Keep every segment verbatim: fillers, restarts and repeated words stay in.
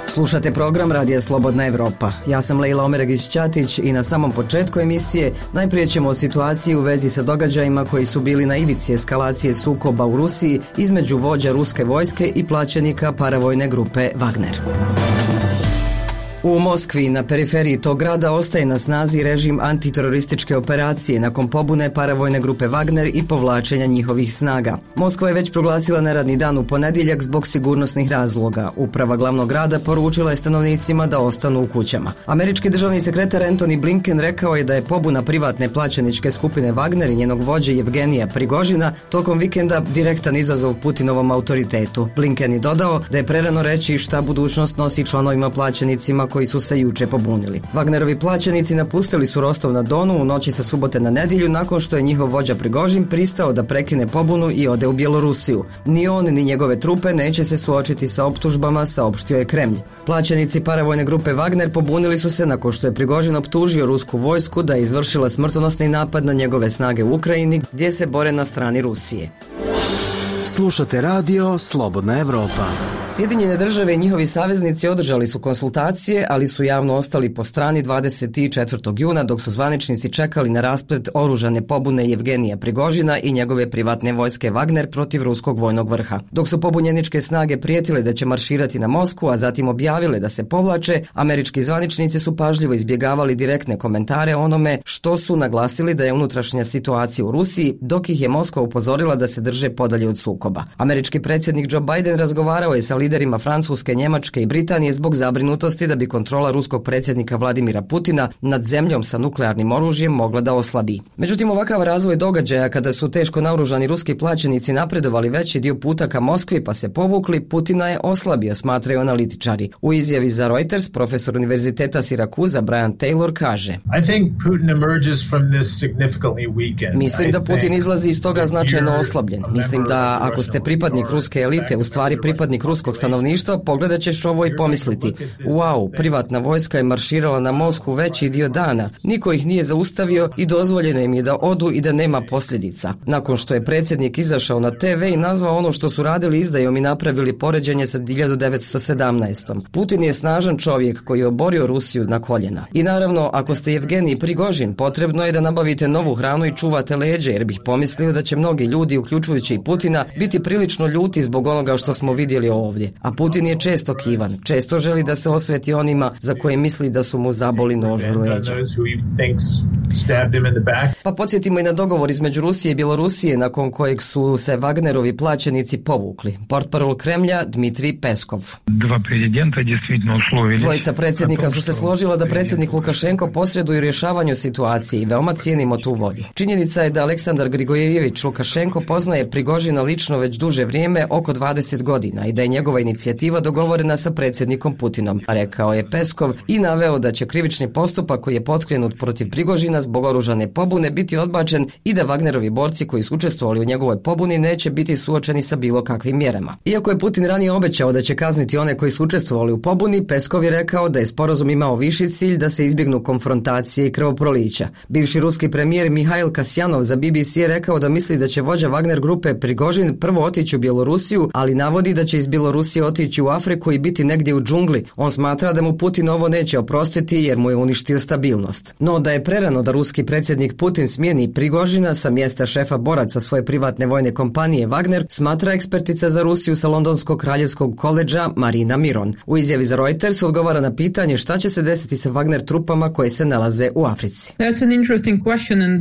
Slušate program Radija Slobodna Evropa. Ja sam Lejla Omeregić-Ćatić i na samom početku emisije najprije ćemo o situaciji u vezi sa događajima koji su bili na ivici eskalacije sukoba u Rusiji između vođa ruske vojske i plaćenika paravojne grupe Wagner. U Moskvi, na periferiji tog grada, ostaje na snazi režim antiterorističke operacije nakon pobune paravojne grupe Wagner i povlačenja njihovih snaga. Moskva je već proglasila neradni dan u ponedjeljak zbog sigurnosnih razloga. Uprava glavnog grada poručila je stanovnicima da ostanu u kućama. Američki državni sekretar Antony Blinken rekao je da je pobuna privatne plaćeničke skupine Wagner i njenog vođe Jevgenija Prigožina tokom vikenda direktan izazov Putinovom autoritetu. Blinken je dodao da je prerano reći šta budućnost nosi članovima plaćenicima koji su se juče pobunili. Wagnerovi plaćenici napustili su Rostov na Donu u noći sa subote na nedjelju nakon što je njihov vođa Prigožin pristao da prekine pobunu i ode u Bjelorusiju. Ni on ni njegove trupe neće se suočiti sa optužbama, saopštio je Kremlj. Plaćenici paravojne grupe Wagner pobunili su se nakon što je Prigožin optužio rusku vojsku da je izvršila smrtonosni napad na njegove snage u Ukrajini gdje se bore na strani Rusije. Slušate radio Slobodna Evropa. Sjedinjene države i njihovi saveznici održali su konsultacije, ali su javno ostali po strani dvadeset četvrtog juna dok su zvaničnici čekali na rasplet oružane pobune Jevgenija Prigožina i njegove privatne vojske Wagner protiv ruskog vojnog vrha. Dok su pobunjeničke snage prijetile da će marširati na Moskvu, a zatim objavile da se povlače, američki zvaničnici su pažljivo izbjegavali direktne komentare o onome što su naglasili da je unutrašnja situacija u Rusiji, dok ih je Moskva upozorila da se drže podalje od sukoba. Američki predsjednik Joe Biden razgovarao je sa liderima Francuske, Njemačke i Britanije zbog zabrinutosti da bi kontrola ruskog predsjednika Vladimira Putina nad zemljom sa nuklearnim oružjem mogla da oslabi. Međutim, ovakav razvoj događaja kada su teško naoružani ruski plaćenici napredovali veći dio puta ka Moskvi pa se povukli, Putina je oslabio, smatraju analitičari. U izjavi za Reuters profesor Univerziteta Sirakuza Brian Taylor kaže: Mislim da Putin izlazi iz toga značajno oslabljen. Mislim da ako ste pripadnik ruske elite, u stvari pripadnik ruskog stanovništva, pogledat ćeš ovo i pomisliti: wow, privatna vojska je marširala na Moskvu veći dio dana, niko ih nije zaustavio i dozvoljeno im je da odu i da nema posljedica. Nakon što je predsjednik izašao na te ve i nazvao ono što su radili izdajom i napravili poređenje sa hiljadu devetsto sedamnaestom. Putin je snažan čovjek koji je oborio Rusiju na koljena. I naravno, ako ste Jevgenij Prigožin, potrebno je da nabavite novu hranu i čuvate leđe, jer bih pomislio da će mnogi ljudi, uključujući i Putina, biti prilično ljuti zbog onoga što smo vidjeli ovdje. A Putin je često kivan, često želi da se osveti onima za koje misli da su mu zaboli nož u leđa. Pa podsjetimo i na dogovor između Rusije i Bjelorusije nakon kojeg su se Wagnerovi plaćenici povukli. Portparol Kremlja Dmitrij Peskov. Dvojica predsjednika su se složila da predsjednik Lukašenko posreduje u rješavanju situacije i veoma cijenimo tu volju. Činjenica je da Aleksandar Grigorjević Lukašenko poznaje Prigožina lično već duže vrijeme, oko dvadeset godina, i da je njegova inicijativa dogovorena sa predsjednikom Putinom, rekao je Peskov i naveo da će krivični postupak koji je potkrenut protiv Prigožina zbog oružane pobune biti odbačen i da Wagnerovi borci koji su učestvovali u njegovoj pobuni neće biti suočeni sa bilo kakvim mjerama. Iako je Putin ranije obećao da će kazniti one koji su učestvovali u pobuni, Peskov je rekao da je sporazum imao viši cilj da se izbjegnu konfrontacije i krvoprolića. Bivši ruski premijer Mihail Kasjanov za be be ce je rekao da misli da će vođa Wagner grupe Prigožin prvo otići u Bjelorusiju, ali navodi da će iz Bjelorusije otići u Afriku i biti negdje u džungli. On smatra da mu Putin ovo neće oprostiti jer mu je uništio stabilnost. No da je prerano da ruski predsjednik Putin smijeni Prigožina sa mjesta šefa boraca svoje privatne vojne kompanije Wagner, smatra ekspertica za Rusiju sa Londonskog kraljevskog koledža Marina Miron. U izjavi za Reuters odgovara na pitanje šta će se desiti sa Wagner trupama koje se nalaze u Africi.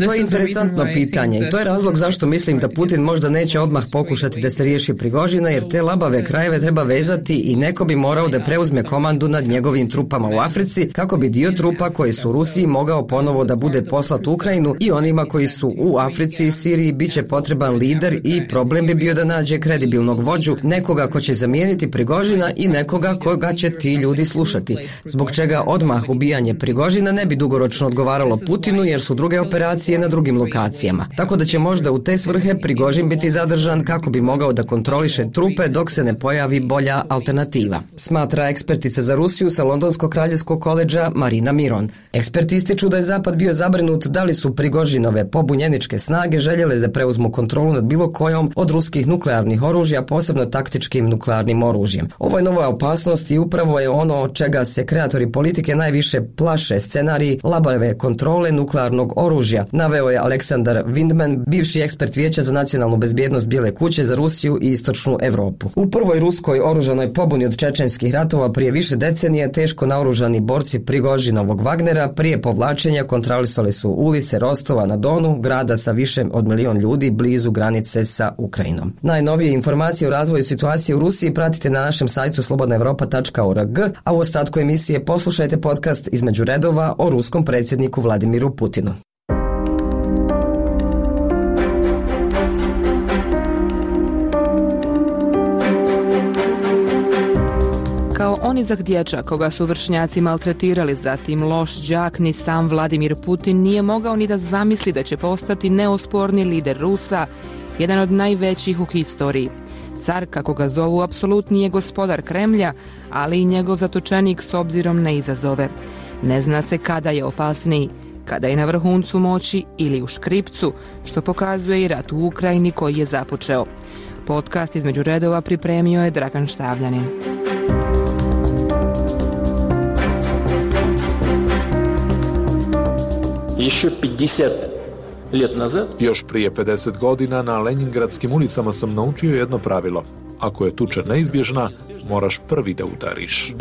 To je interesantno pitanje i to je razlog zašto mislim da Putin možda neće odmah pokušati da se riješi Prigožina, jer te labave krajeve treba vezati i neko bi morao da preuzme komandu nad njegovim trupama u Africi kako bi dio trupa koji su u Rusiji mogao ponovo da bude poslat u Ukrajinu, i onima koji su u Africi i Siriji bit će potreban lider i problem bi bio da nađe kredibilnog vođu, nekoga ko će zamijeniti Prigožina i nekoga koga će ti ljudi slušati. Zbog čega odmah ubijanje Prigožina ne bi dugoročno odgovaralo Putinu jer su druge operacije na drugim lokacijama. Tako da će možda u te svrhe Prigožin biti zadržan kako bi mogao da kontroliše trupe dok se ne pojavi pojavi bolja alternativa, smatra ekspertica za Rusiju sa Londonskog kraljevskog koledža Marina Miron. Eksperti ističu da je Zapad bio zabrinut da li su Prigožinove pobunjeničke snage željele da preuzmu kontrolu nad bilo kojom od ruskih nuklearnih oružja, posebno taktičkim nuklearnim oružjem. Ovo je nova opasnost i upravo je ono od čega se kreatori politike najviše plaše, scenarij labave kontrole nuklearnog oružja, naveo je Aleksandar Vindman, bivši ekspert Vijeća za nacionalnu bezbjednost Bijele kuće za Rusiju i Istočnu Evropu. U prvoj ruskoj oružanoj pobuni od čečenskih ratova prije više decenije teško naoružani borci Prigožinovog Wagnera prije povlačenja kontrolisali su ulice Rostova na Donu, grada sa više od milion ljudi blizu granice sa Ukrajinom. Najnovije informacije o razvoju situacije u Rusiji pratite na našem sajtu slobodna evropa tačka org, a u ostatku emisije poslušajte podcast Između redova o ruskom predsjedniku Vladimiru Putinu. Kao onizak dječak koga su vršnjaci maltretirali, zatim loš đak, ni sam Vladimir Putin nije mogao ni da zamisli da će postati neosporni lider Rusa, jedan od najvećih u historiji. Car, kako ga zovu, apsolutni je gospodar Kremlja, ali i njegov zatočenik s obzirom na izazove. Ne zna se kada je opasniji, kada je na vrhuncu moći ili u škripcu, što pokazuje i rat u Ukrajini koji je započeo. Podcast Između redova pripremio je Dragan Štavljanin. Još prije pedeset godina na Leningradskim ulicama sam naučio jedno pravilo. Ako je tuča neizbježna, moraš prvi da udariš.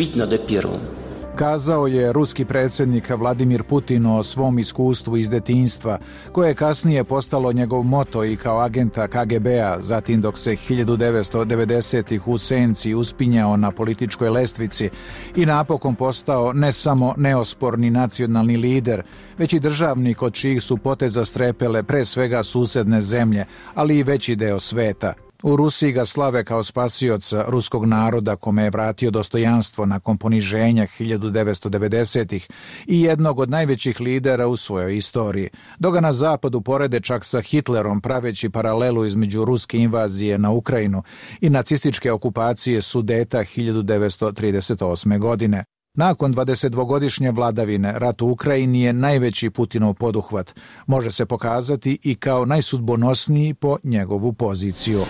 Kazao je ruski predsjednik Vladimir Putin o svom iskustvu iz detinjstva, koje je kasnije postalo njegov moto i kao agenta K G B-a, zatim dok se hiljadu devetsto devedesetih u senci uspinjao na političkoj lestvici i napokon postao ne samo neosporni nacionalni lider, već i državnik od čijih su poteza strepele pre svega susedne zemlje, ali i veći deo sveta. U Rusiji ga slave kao spasioca ruskog naroda kome je vratio dostojanstvo nakon poniženja hiljadu devetsto devedesetih i jednog od najvećih lidera u svojoj istoriji. Dok ga na zapadu porede čak sa Hitlerom, praveći paralelu između ruske invazije na Ukrajinu i nacističke okupacije Sudeta hiljadu devetsto trideset osme. godine. Nakon dvadesetdvogodišnje vladavine, rat u Ukrajini je najveći Putinov poduhvat. Može se pokazati i kao najsudbonosniji po njegovu poziciju.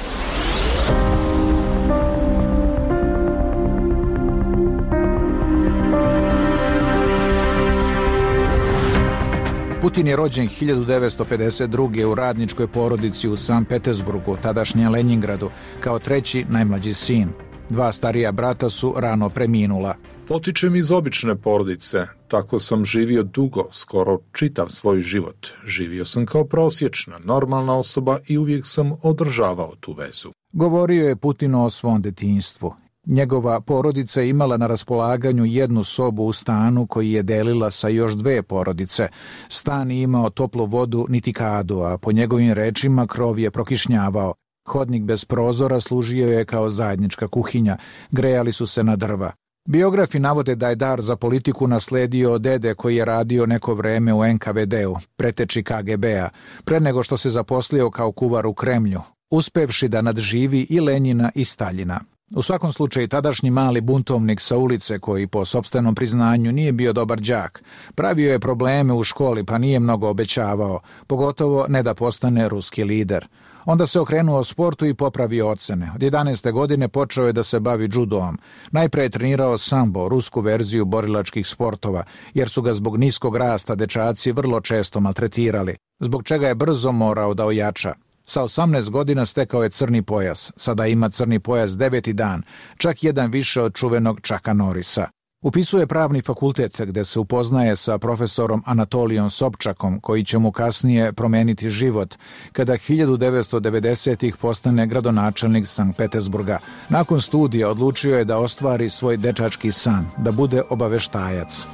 Putin je rođen hiljadu devetsto pedeset druge. u radničkoj porodici u Sankt Petersburgu, tadašnjem Leningradu, kao treći najmlađi sin. Dva starija brata su rano preminula. Potičem iz obične porodice, tako sam živio dugo, skoro čitav svoj život. Živio sam kao prosječna, normalna osoba i uvijek sam održavao tu vezu. Govorio je Putin o svom detinjstvu. Njegova porodica je imala na raspolaganju jednu sobu u stanu koji je delila sa još dve porodice. Stan je imao toplu vodu niti kadu, a po njegovim rečima krov je prokišnjavao. Hodnik bez prozora služio je kao zajednička kuhinja, grejali su se na drva. Biografi navode da je dar za politiku nasledio od dede koji je radio neko vreme u N K V D-u, preteči K G B-a, pre nego što se zaposlio kao kuvar u Kremlju, uspevši da nadživi i Lenjina i Staljina. U svakom slučaju, tadašnji mali buntovnik sa ulice, koji po sopstvenom priznanju nije bio dobar đak, pravio je probleme u školi pa nije mnogo obećavao, pogotovo ne da postane ruski lider. Onda se okrenuo sportu i popravio ocene. Od jedanaeste godine počeo je da se bavi džudoom. Najpre je trenirao sambo, rusku verziju borilačkih sportova, jer su ga zbog niskog rasta dečaci vrlo često maltretirali, zbog čega je brzo morao da ojača. Sa osamnaest godina stekao je crni pojas. Sada ima crni pojas deveti dan, čak jedan više od čuvenog Chucka Norrisa. Upisuje pravni fakultet gde se upoznaje sa profesorom Anatolijom Sobčakom, koji će mu kasnije promeniti život, kada hiljadu devetsto devedesetih postane gradonačelnik Sankt Petersburga. Nakon studija odlučio je da ostvari svoj dečački san, da bude obaveštajac.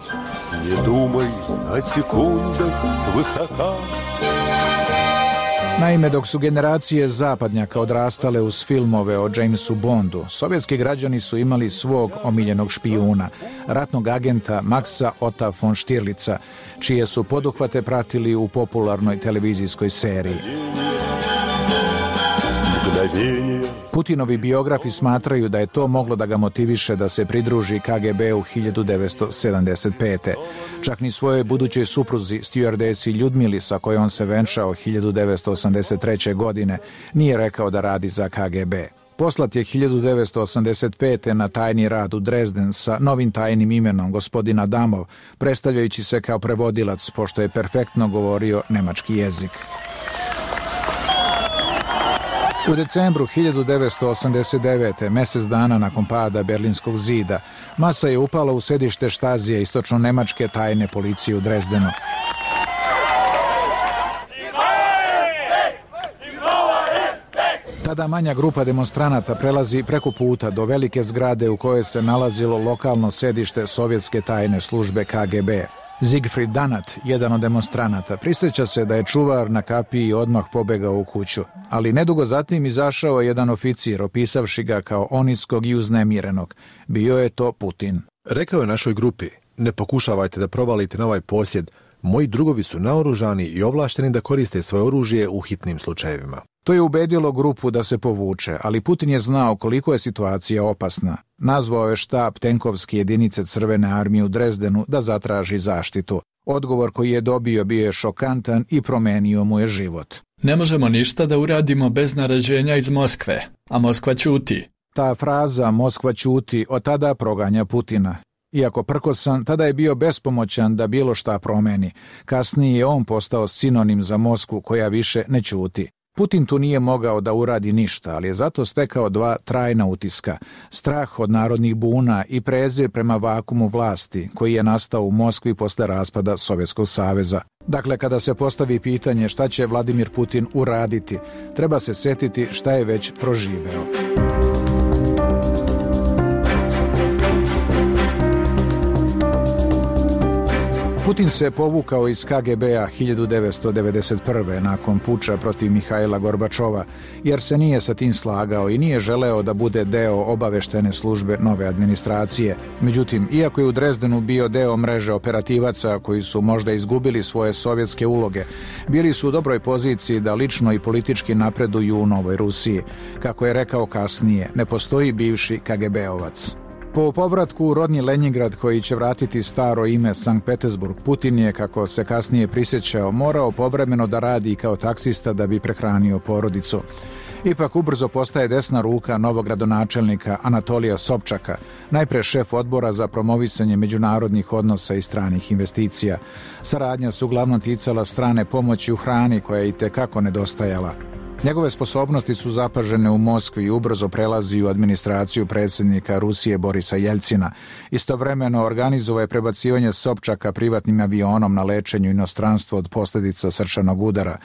Ne dumaj na sekundah s visoka. Naime, dok su generacije zapadnjaka odrastale uz filmove o Jamesu Bondu, sovjetski građani su imali svog omiljenog špijuna, ratnog agenta Maxa Otta von Stirlica, čije su poduhvate pratili u popularnoj televizijskoj seriji. Putinovi biografi smatraju da je to moglo da ga motiviše da se pridruži K G B u hiljadu devetsto sedamdeset pete. Čak ni svojoj budućoj supruzi, stjuardesi Ljudmili, sa kojom se venčao hiljadu devetsto osamdeset treće. godine, nije rekao da radi za K G B. Poslat je hiljadu devetsto osamdeset pete. na tajni rad u Dresden sa novim tajnim imenom gospodin Adamov, predstavljajući se kao prevodilac, pošto je perfektno govorio nemački jezik. U decembru hiljadu devetsto osamdeset devete. mesec dana nakon pada Berlinskog zida, masa je upala u sedište Štazije istočno-nemačke tajne policije u Dresdenu. Tada manja grupa demonstranata prelazi preko puta do velike zgrade u kojoj se nalazilo lokalno sedište sovjetske tajne službe K G B. Siegfried Danat, jedan od demonstranata, prisjeća se da je čuvar na kapiji odmah pobegao u kuću, ali nedugo zatim izašao je jedan oficir, opisavši ga kao oniskog i uznemirenog. Bio je to Putin. Rekao je našoj grupi: ne pokušavajte da provalite na ovaj posjed, moji drugovi su naoružani i ovlašteni da koriste svoje oružje u hitnim slučajevima. To je ubedilo grupu da se povuče, ali Putin je znao koliko je situacija opasna. Nazvao je štab tenkovske jedinice Crvene armije u Dresdenu da zatraži zaštitu. Odgovor koji je dobio bio je šokantan i promenio mu je život. Ne možemo ništa da uradimo bez naređenja iz Moskve, a Moskva ćuti. Ta fraza Moskva ćuti od tada proganja Putina. Iako prkosan, tada je bio bespomoćan da bilo šta promeni. Kasnije je on postao sinonim za Moskvu koja više ne ćuti. Putin tu nije mogao da uradi ništa, ali je zato stekao dva trajna utiska. Strah od narodnih buna i prezir prema vakumu vlasti, koji je nastao u Moskvi posle raspada Sovjetskog saveza. Dakle, kada se postavi pitanje šta će Vladimir Putin uraditi, treba se setiti šta je već proživeo. Putin se povukao iz K G B-a hiljadu devetsto devedeset prve. nakon puča protiv Mihajla Gorbačova, jer se nije sa tim slagao i nije želeo da bude deo obaveštene službe nove administracije. Međutim, iako je u Dresdenu bio deo mreže operativaca koji su možda izgubili svoje sovjetske uloge, bili su u dobroj poziciji da lično i politički napreduju u Novoj Rusiji. Kako je rekao kasnije, ne postoji bivši K G B-ovac. Po povratku u rodni Lenjingrad, koji će vratiti staro ime Sankt Petersburg, Putin je, kako se kasnije prisjećao, morao povremeno da radi kao taksista da bi prehranio porodicu. Ipak ubrzo postaje desna ruka novog gradonačelnika Anatolija Sobčaka, najpre šef odbora za promovisanje međunarodnih odnosa i stranih investicija. Saradnja se uglavnom ticala strane pomoći u hrani, koja je i tekako nedostajala. Njegove sposobnosti su zapažene u Moskvi i ubrzo prelazi u administraciju predsjednika Rusije Borisa Jeljcina. Istovremeno organizovao je prebacivanje Sobčaka privatnim avionom na lečenju inostranstvo od posljedica srčanog udara.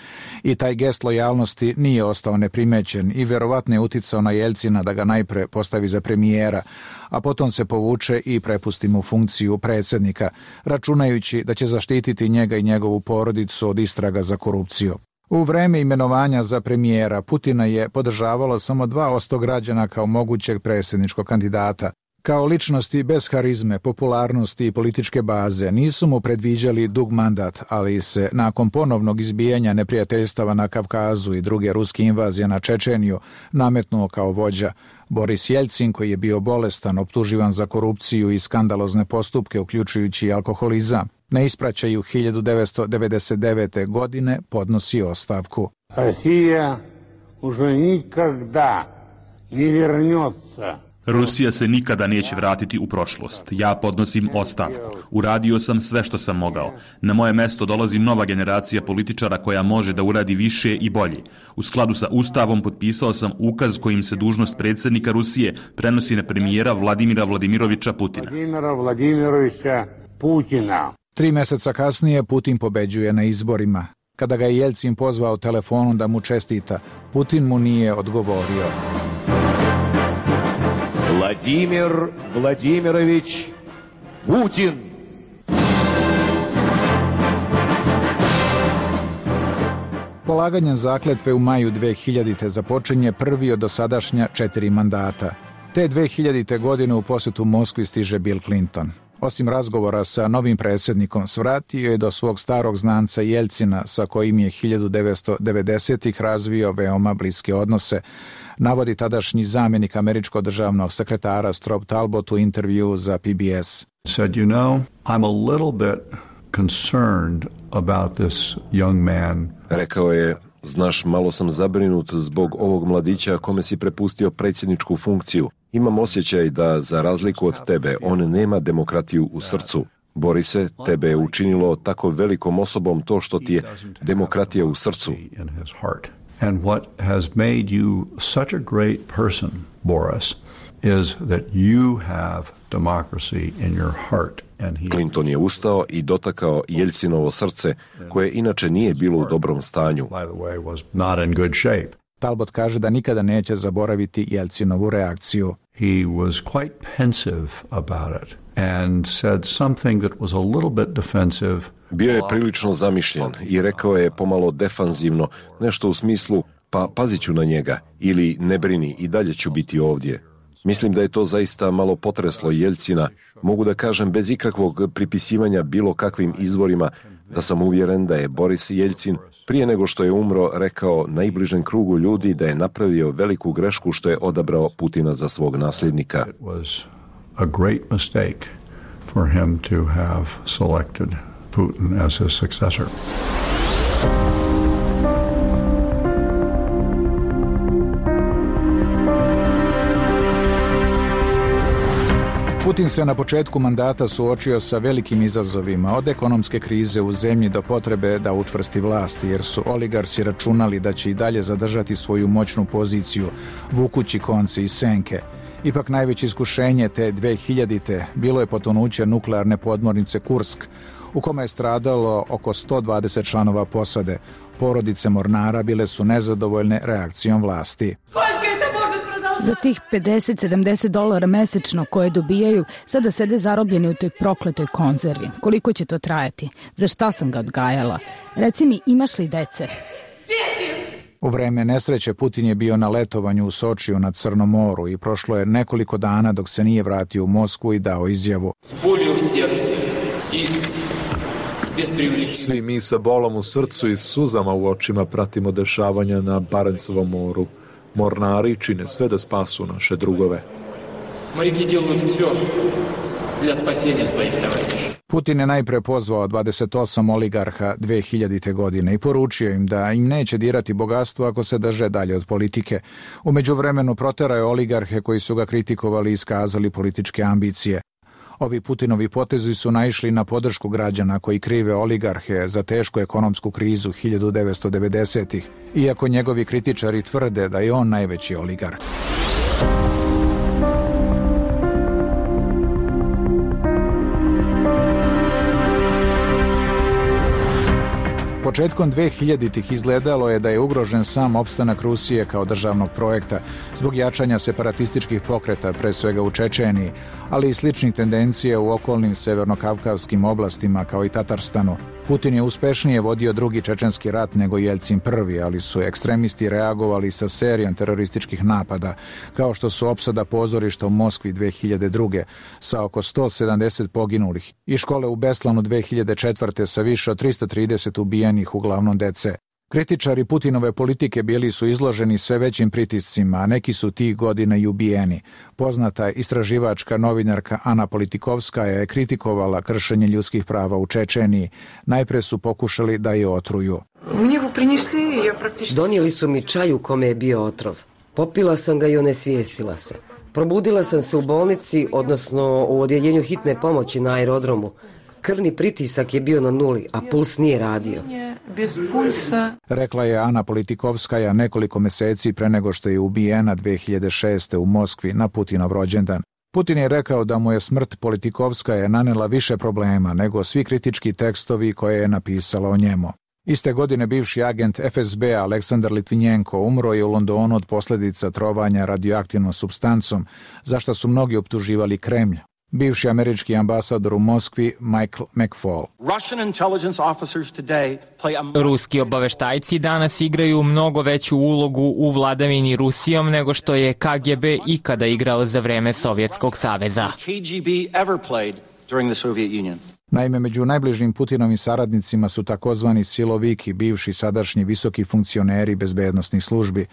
I taj gest lojalnosti nije ostao neprimećen i vjerovatno je uticao na Jeljcina da ga najpre postavi za premijera, a potom se povuče i prepusti mu funkciju predsjednika, računajući da će zaštititi njega i njegovu porodicu od istraga za korupciju. U vreme imenovanja za premijera Putina je podržavalo samo dva posto građana kao mogućeg predsjedničkog kandidata. Kao ličnosti bez harizme, popularnosti i političke baze nisu mu predviđali dug mandat, ali se nakon ponovnog izbijanja neprijateljstava na Kavkazu i druge ruske invazije na Čečeniju nametnuo kao vođa. Boris Jeljcin, koji je bio bolestan, optuživan za korupciju i skandalozne postupke, uključujući i alkoholizam, na ispraćaju hiljadu devetsto devedeset devete. godine podnosi ostavku. Rusija už nikada ne vernется. Rusija se nikada neće vratiti u prošlost. Ja podnosim ostavku. Uradio sam sve što sam mogao. Na moje mesto dolazi nova generacija političara koja može da uradi više i bolje. U skladu sa Ustavom potpisao sam ukaz kojim se dužnost predsjednika Rusije prenosi na premijera Vladimira Vladimirovića Putina. Vladimira Vladimirovića Putina. Tri mjeseca kasnije Putin pobeđuje na izborima. Kada ga je Jeljcin pozvao telefonom da mu čestita, Putin mu nije odgovorio. Vladimir Vladimirović Putin. Polaganjem zakletve u maju dve hiljadite. započinje prvi od dosadašnja četiri mandata. Te dve hiljadite. godine u posjetu Moskvi stiže Bill Clinton. Osim razgovora sa novim predsjednikom, svratio je do svog starog znanca Jelcina, sa kojim je hiljadu devetsto devedesetih razvio veoma bliske odnose, navodi tadašnji zamjenik američkog državnog sekretara Strobe Talbot u intervju za P B S. Said, you know, I'm a little bit concerned about this young man. Rekao je, znaš, malo sam zabrinut zbog ovog mladića kome si prepustio predsjedničku funkciju. Imam osjećaj da, za razliku od tebe, on nema demokratiju u srcu. Borise, tebe je učinilo tako velikom osobom to što ti je demokratija u srcu. And what has made you such a great person, Boris, is that you have democracy in your heart. Clinton je ustao i dotakao Jelcinovo srce, koje inače nije bilo u dobrom stanju. Talbot kaže da nikada neće zaboraviti Jelcinovu reakciju. He was quite pensive about it and said something that was a little bit defensive. Bio je prilično zamišljen i rekao je pomalo defanzivno, nešto u smislu, pa pazit ću na njega, ili ne brini, i dalje ću biti ovdje. Mislim da je to zaista malo potreslo Jelcina. Mogu da kažem bez ikakvog pripisivanja bilo kakvim izvorima da sam uvjeren da je Boris Jelcin prije nego što je umro rekao najbližem krugu ljudi da je napravio veliku grešku što je odabrao Putina za svog nasljednika. It was a great mistake for him to have selected Putin as his successor. Putin se na početku mandata suočio sa velikim izazovima, od ekonomske krize u zemlji do potrebe da učvrsti vlast, jer su oligarsi računali da će i dalje zadržati svoju moćnu poziciju, vukući konce i senke. Ipak najveće iskušenje te dve hiljadite bilo je potonuće nuklearne podmornice Kursk, u kome je stradalo oko sto dvadeset članova posade. Porodice mornara bile su nezadovoljne reakcijom vlasti. Za tih pedeset sedamdeset dolara mesečno koje dobijaju, sada sede zarobljeni u toj prokletoj konzervi. Koliko će to trajati? Za šta sam ga odgajala? Reci mi, imaš li dece? U vreme nesreće Putin je bio na letovanju u Sočiju na Crnom moru i prošlo je nekoliko dana dok se nije vratio u Moskvu i dao izjavu. Svi mi sa bolom u srcu i suzama u očima pratimo dešavanja na Barencovom moru. Mornari čine sve da spasu naše drugove. Putin je najpre pozvao dvadeset osam oligarha dve hiljadite godine i poručio im da im neće dirati bogatstvo ako se drže dalje od politike. U međuvremenu proterao je oligarhe koji su ga kritikovali i iskazali političke ambicije. Ovi Putinovi potezi su naišli na podršku građana koji krive oligarhe za tešku ekonomsku krizu hiljadu devetsto devedesetih, iako njegovi kritičari tvrde da je on najveći oligarh. Početkom dve hiljaditih izgledalo je da je ugrožen sam opstanak Rusije kao državnog projekta zbog jačanja separatističkih pokreta, pre svega u Čečeniji, ali i sličnih tendencija u okolnim severnokavkavskim oblastima kao i Tatarstanu. Putin je uspešnije vodio drugi čečenski rat nego Jelcin prvi, ali su ekstremisti reagovali sa serijom terorističkih napada, kao što su opsada pozorišta u Moskvi dve hiljade druge sa oko sto sedamdeset poginulih i škole u Beslanu dve hiljade četvrte sa više od trista trideset ubijenih, uglavnom dece. Kritičari Putinove politike bili su izloženi sve većim pritiscima, a neki su tih godina i ubijeni. Poznata istraživačka novinarka Ana Politikovskaja je kritikovala kršenje ljudskih prava u Čečeniji. Najpre su pokušali da je otruju. Donijeli su mi čaj u kome je bio otrov. Popila sam ga i onesvijestila se. Probudila sam se u bolnici, odnosno u odjeljenju hitne pomoći na aerodromu. Krvni pritisak je bio na nuli, a puls nije radio. Rekla je Ana Politikovskaja nekoliko meseci pre nego što je ubijena dve hiljade šeste u Moskvi na Putinov rođendan. Putin je rekao da mu je smrt Politikovskaje nanela više problema nego svi kritički tekstovi koje je napisala o njemu. Iste godine bivši agent F S B Aleksandar Litvinjenko umro je u Londonu od posljedica trovanja radioaktivnom supstancom, za što su mnogi optuživali Kremlj. Bivši američki ambasador u Moskvi Michael McFaul. Ruski obaveštajci danas igraju mnogo veću ulogu u vladavini Rusijom nego što je K G B ikada igrao za vreme Sovjetskog saveza. during the Soviet Union. Naime, među najbližim Putinovim saradnicima su takozvani siloviki, bivši sadašnji visoki funkcioneri bezbednosnih službi.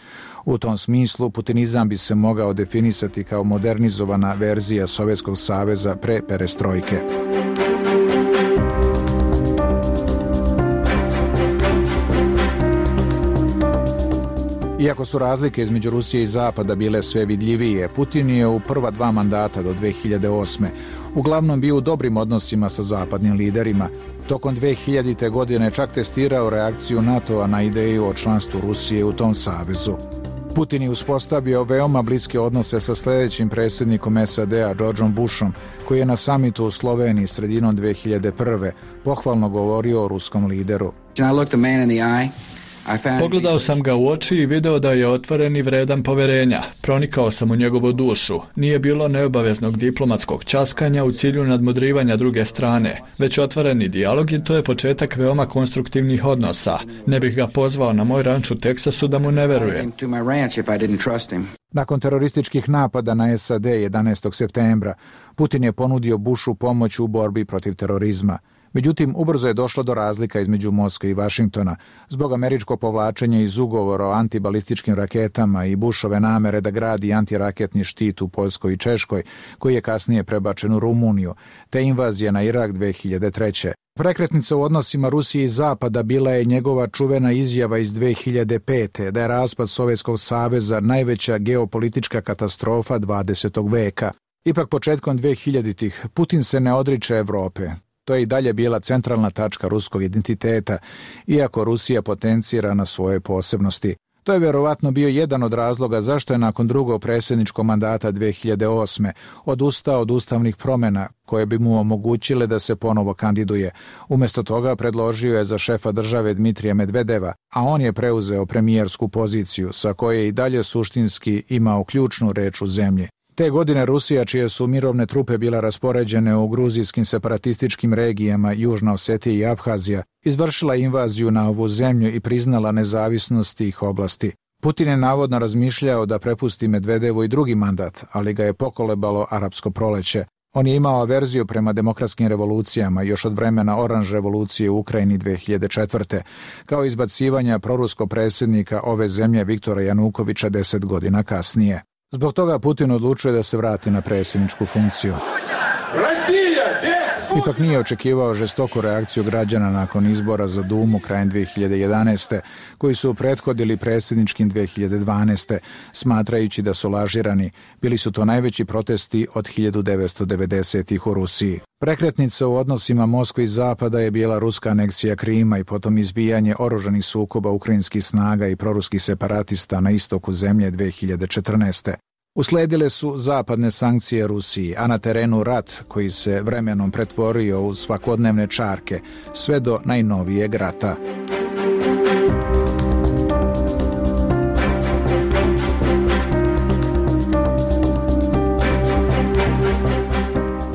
U tom smislu, putinizam bi se mogao definisati kao modernizovana verzija Sovjetskog saveza pre perestrojke. Iako su razlike između Rusije i Zapada bile sve vidljivije, Putin je u prva dva mandata do dve hiljade osme uglavnom bio u dobrim odnosima sa zapadnim liderima. Tokom dve hiljadite. godine čak testirao reakciju NATO-a na ideju o članstvu Rusije u tom savezu. Putin je uspostavio veoma bliske odnose sa sljedećim predsjednikom S A D-a, Georgeom Bushom, koji je na samitu u Sloveniji sredinom dve hiljade prve. pohvalno govorio o ruskom lideru. Pogledao sam ga u oči i video da je otvoren i vredan poverenja. Pronikao sam u njegovu dušu. Nije bilo neobaveznog diplomatskog časkanja u cilju nadmudrivanja druge strane, već otvoreni dijalog i to je početak veoma konstruktivnih odnosa. Ne bih ga pozvao na moj ranč u Teksasu da mu ne verujem. Nakon terorističkih napada na S A D jedanaestog septembra, Putin je ponudio Bushu pomoć u borbi protiv terorizma. Međutim, ubrzo je došlo do razlika između Moskve i Vašingtona zbog američkog povlačenja iz ugovora o antibalističkim raketama i Bushove namere da gradi antiraketni štit u Poljskoj i Češkoj, koji je kasnije prebačen u Rumuniju, te invazija na Irak dve hiljade treće. Prekretnica u odnosima Rusije i Zapada bila je njegova čuvena izjava iz dve hiljade pete. da je raspad Sovjetskog saveza najveća geopolitička katastrofa dvadesetog veka. Ipak početkom dve hiljaditih. Putin se ne odriče Evrope. To je i dalje bila centralna tačka ruskog identiteta, iako Rusija potencira na svoje posebnosti. To je vjerovatno bio jedan od razloga zašto je nakon drugog predsjedničkog mandata dve hiljade osme. odustao od ustavnih promjena koje bi mu omogućile da se ponovo kandiduje. Umjesto toga predložio je za šefa države Dmitrija Medvedeva, a on je preuzeo premijersku poziciju sa koje je i dalje suštinski imao ključnu reč u zemlji. Te godine Rusija, čije su mirovne trupe bila raspoređene u gruzijskim separatističkim regijama Južna Osetija i Abhazija, izvršila invaziju na ovu zemlju i priznala nezavisnost tih oblasti. Putin je navodno razmišljao da prepusti Medvedevu i drugi mandat, ali ga je pokolebalo arapsko proleće. On je imao averziju prema demokratskim revolucijama još od vremena Oranž revolucije u Ukrajini dve hiljade četvrte. kao izbacivanja proruskog predsjednika ove zemlje Viktora Janukovića deset godina kasnije. Zbog toga Putin odlučuje da se vrati na predsjedničku funkciju. Ipak nije očekivao žestoku reakciju građana nakon izbora za Dumu krajem dve hiljade jedanaeste. koji su prethodili predsjedničkim dve hiljade dvanaeste. smatrajući da su lažirani. Bili su to najveći protesti od hiljadu devetsto devedesetih. u Rusiji. Prekretnica u odnosima Moskve i Zapada je bila ruska aneksija Krima i potom izbijanje oružanih sukoba ukrajinskih snaga i proruskih separatista na istoku zemlje dve hiljade četrnaeste. Usledile su zapadne sankcije Rusiji, a na terenu rat koji se vremenom pretvorio u svakodnevne čarke, sve do najnovijeg rata.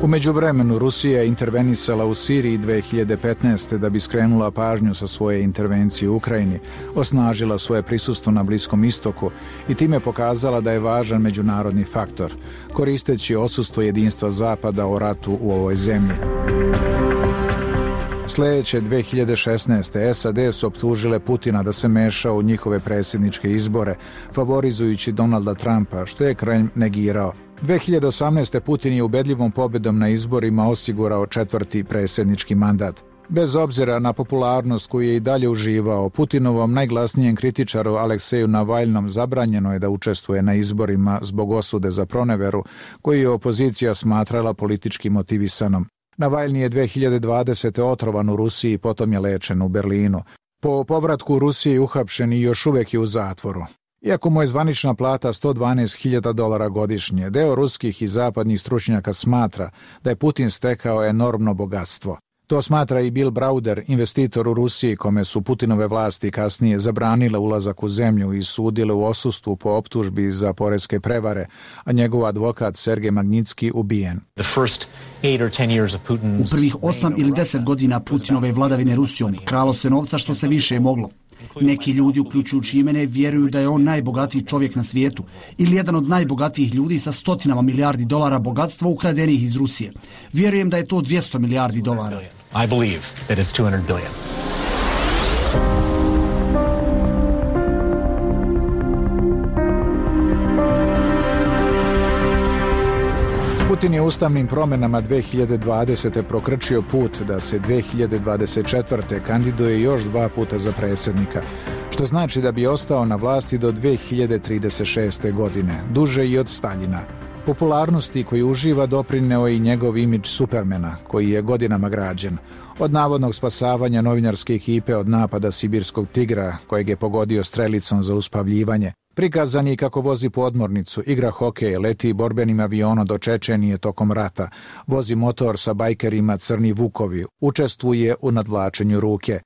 U međuvremenu Rusija je intervenisala u Siriji dve hiljade petnaeste. da bi skrenula pažnju sa svoje intervencije u Ukrajini, osnažila svoje prisustvo na Bliskom istoku i time pokazala da je važan međunarodni faktor, koristeći odsustvo jedinstva Zapada o ratu u ovoj zemlji. Sljedeće dve hiljade šesnaeste. S A D su optužile Putina da se meša u njihove predsjedničke izbore, favorizujući Donalda Trumpa, što je Kremlj negirao. dve hiljade osamnaeste. Putin je ubedljivom pobjedom na izborima osigurao četvrti predsjednički mandat. Bez obzira na popularnost koju je i dalje uživao, Putinovom najglasnijem kritičaru Alekseju Navalnom zabranjeno je da učestvuje na izborima zbog osude za proneveru, koju je opozicija smatrala politički motivisanom. Navalni je dve hiljade dvadesete. otrovan u Rusiji, potom je lečen u Berlinu. Po povratku u Rusiji uhapšen i još uvijek je u zatvoru. Iako mu je zvanična plata sto dvanaest hiljada dolara godišnje, deo ruskih i zapadnih stručnjaka smatra da je Putin stekao enormno bogatstvo. To smatra i Bill Browder, investitor u Rusiji, kome su Putinove vlasti kasnije zabranile ulazak u zemlju i sudile u odsustvu po optužbi za poreske prevare, a njegov advokat Sergej Magnitski ubijen. U prvih osam ili deset godina Putinove vladavine Rusijom kralo se novca što se više moglo. Neki ljudi, uključujući i mene, vjeruju da je on najbogatiji čovjek na svijetu ili jedan od najbogatijih ljudi sa stotinama milijardi dolara bogatstva ukradenih iz Rusije. Vjerujem da je to dvjesto milijardi dolara. I believe that it's two hundred billion. Putin je ustavnim promjenama dve hiljade dvadesete prokrčio put da se dve hiljade dvadeset četvrte kandiduje još dva puta za predsjednika, što znači da bi ostao na vlasti do dve hiljade trideset šeste. godine, duže i od Staljina. Popularnosti koju uživa doprineo i njegov imidž Supermana, koji je godinama građen. Od navodnog spasavanja novinarske ekipe od napada sibirskog tigra, kojeg je pogodio strelicom za uspavljivanje, prikazan je kako vozi podmornicu, igra hokej, leti borbenim avionom do Čečenije tokom rata, vozi motor sa bajkerima Crni Vukovi, učestvuje u nadvlačenju ruke.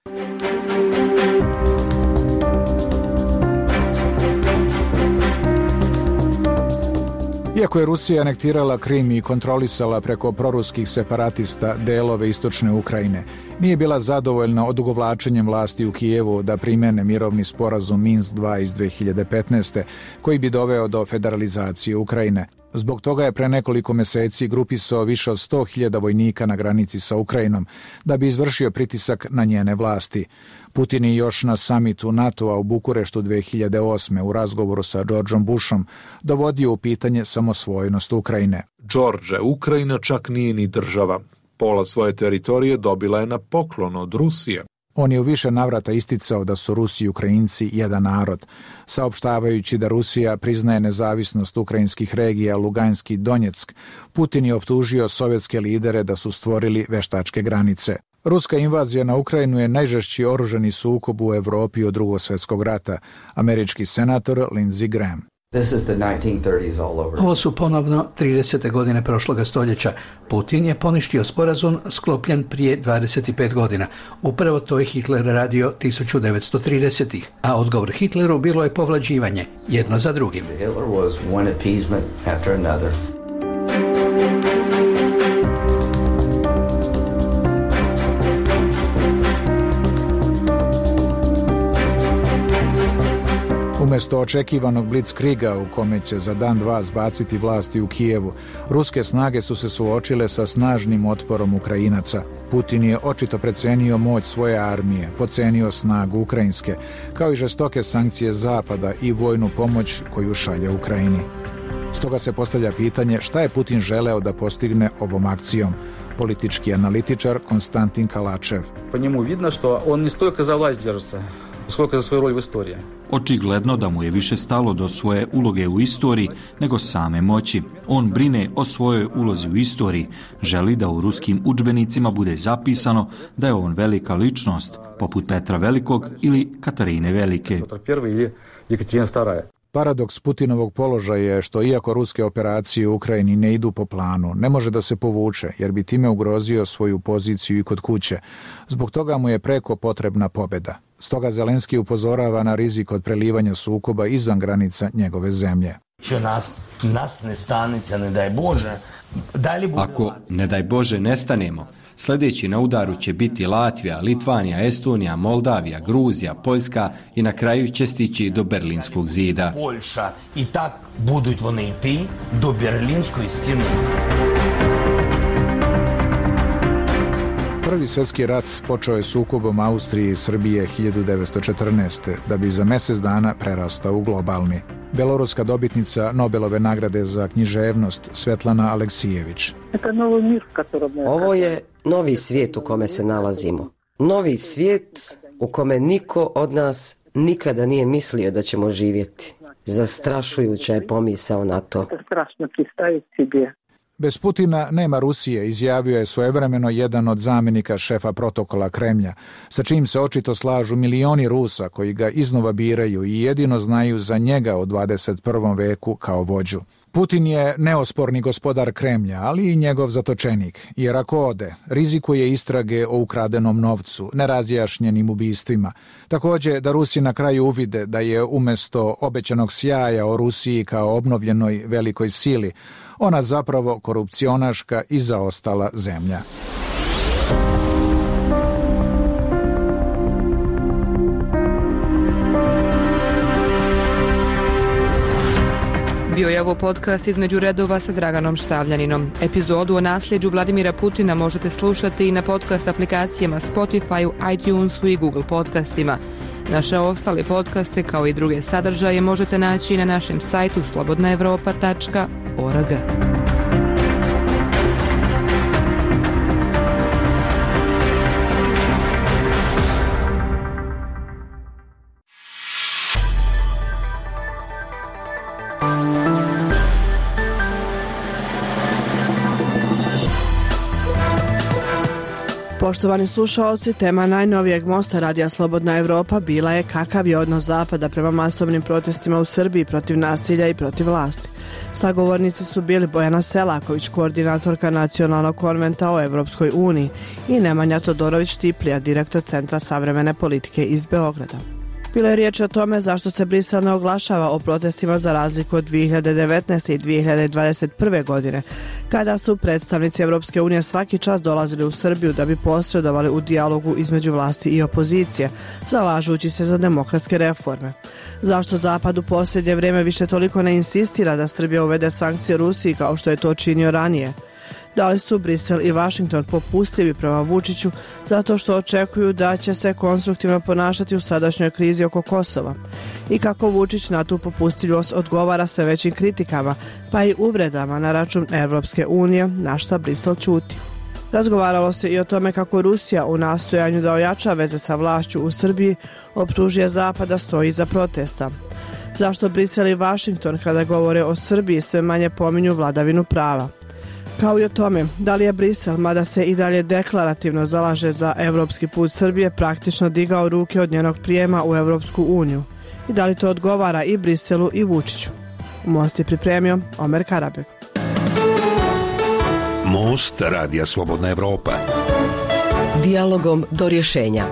Iako je Rusija anektirala Krim i kontrolisala preko proruskih separatista delove istočne Ukrajine, nije bila zadovoljna odugovlačenjem vlasti u Kijevu da primene mirovni sporazum Minsk dva iz dve hiljade petnaeste. koji bi doveo do federalizacije Ukrajine. Zbog toga je pre nekoliko meseci grupisao više od sto hiljada vojnika na granici sa Ukrajinom da bi izvršio pritisak na njene vlasti. Putin je još na samitu NATO-a u Bukureštu dve hiljade osme. u razgovoru sa Georgeom Bushom dovodio u pitanje samosvojnost Ukrajine. George, Ukrajina čak nije ni država. Pola svoje teritorije dobila je na poklon od Rusije. On je u više navrata isticao da su Rusi i Ukrajinci jedan narod, saopštavajući da Rusija priznaje nezavisnost ukrajinskih regija Lugansk i Donjeck. Putin je optužio sovjetske lidere da su stvorili veštačke granice. Ruska invazija na Ukrajinu je najžešći oružani sukob u Evropi od Drugog svjetskog rata, američki senator Lindsey Graham. Ovo su ponovno tridesete godine prošloga stoljeća. Putin je poništio sporazum sklopljen prije dvadeset pet godina. Upravo to je Hitler radio tisuću devetsto tridesetih. A odgovor Hitleru bilo je povlađivanje, jedno za drugim. Hitler was one appeasement after another. Umjesto očekivanog blitzkriga u kome će za dan dva zbaciti vlasti u Kijevu, ruske snage su se suočile sa snažnim otporom Ukrajinaca. Putin je očito precenio moć svoje armije, pocenio snagu ukrajinske, kao i žestoke sankcije Zapada i vojnu pomoć koju šalje Ukrajini. Stoga se postavlja pitanje šta je Putin želeo da postigne ovom akcijom. Politički analitičar Konstantin Kalačev. Po njemu vidno što on ne stojko za vlast država, skoliko za svoju rol u istoriji. Očigledno da mu je više stalo do svoje uloge u istoriji nego same moći. On brine o svojoj ulozi u istoriji, želi da u ruskim udžbenicima bude zapisano da je on velika ličnost, poput Petra Velikog ili Katarine Velike. Paradoks Putinovog položaja je što iako ruske operacije u Ukrajini ne idu po planu, ne može da se povuče jer bi time ugrozio svoju poziciju i kod kuće. Zbog toga mu je preko potrebna pobjeda. Stoga Zelenski upozorava na rizik od prelivanja sukoba izvan granica njegove zemlje. Nas, nas ne stanice, ne daj Bože. Ako, ne daj Bože, nestanemo, sljedeći na udaru će biti Latvija, Litvanija, Estonija, Moldavija, Gruzija, Poljska i na kraju će stići do Berlinskog zida. Poljša i tak budуть вони йти до Берлінської стіни. Prvi svjetski rat počeo je sukobom Austrije i Srbije hiljadu devetsto četrnaeste. da bi za mjesec dana prerastao u globalni. Beloruska dobitnica Nobelove nagrade za književnost Svetlana Aleksijević. Ovo je novi svijet u kome se nalazimo. Novi svijet u kome niko od nas nikada nije mislio da ćemo živjeti. Zastrašujuća je pomisao na to. Bez Putina nema Rusije, izjavio je svojevremeno jedan od zamjenika šefa protokola Kremlja, sa čim se očito slažu milioni Rusa koji ga iznova biraju i jedino znaju za njega u dvadeset prvom veku kao vođu. Putin je neosporni gospodar Kremlja, ali i njegov zatočenik, jer ako ode, rizikuje istrage o ukradenom novcu, nerazjašnjenim ubistvima. Također da Rusi na kraju uvide da je umjesto obećanog sjaja o Rusiji kao obnovljenoj velikoj sili, ona zapravo korupcionaška i zaostala zemlja. Bio je ovo podcast Između redova sa Draganom Štavljaninom. Epizodu o nasljeđu Vladimira Putina možete slušati i na podcast aplikacijama Spotify, iTunesu i Google podcastima. Naše ostale podcaste kao i druge sadržaje možete naći na našem sajtu slobodna evropa tačka org. Poštovani slušaoci, tema najnovijeg mosta Radija Slobodna Evropa bila je kakav je odnos Zapada prema masovnim protestima u Srbiji protiv nasilja i protiv vlasti. Sagovornici su bili Bojana Selaković, koordinatorka Nacionalnog konventa o Evropskoj uniji, i Nemanja Todorović-Tiplija, direktor Centra savremene politike iz Beograda. Bilo je riječ o tome zašto se Brisel ne oglašava o protestima za razliku od dvije hiljade devetnaeste. i dvije hiljade dvadeset prve. godine, kada su predstavnici Evropske unije svaki čas dolazili u Srbiju da bi posredovali u dijalogu između vlasti i opozicije, zalažući se za demokratske reforme. Zašto Zapad u posljednje vrijeme više toliko ne insistira da Srbija uvede sankcije Rusiji kao što je to činio ranije? Da li su Brisel i Washington popustljivi prema Vučiću zato što očekuju da će se konstruktivno ponašati u sadašnjoj krizi oko Kosova? I kako Vučić na tu popustljivost odgovara sve većim kritikama, pa i uvredama na račun Evropske unije, na šta Brisel ćuti? Razgovaralo se i o tome kako Rusija u nastojanju da ojača veze sa vlašću u Srbiji optužuje Zapad da stoji iza protesta. Zašto Brisel i Washington kada govore o Srbiji sve manje pominju vladavinu prava? Kao i o tome, da li je Brisel, mada se i dalje deklarativno zalaže za evropski put Srbije, praktično digao ruke od njenog prijema u Evropsku uniju? I da li to odgovara i Briselu i Vučiću? Most je pripremio Omer Karabek. Most Radija Slobodna Evropa. Dijalogom do rješenja.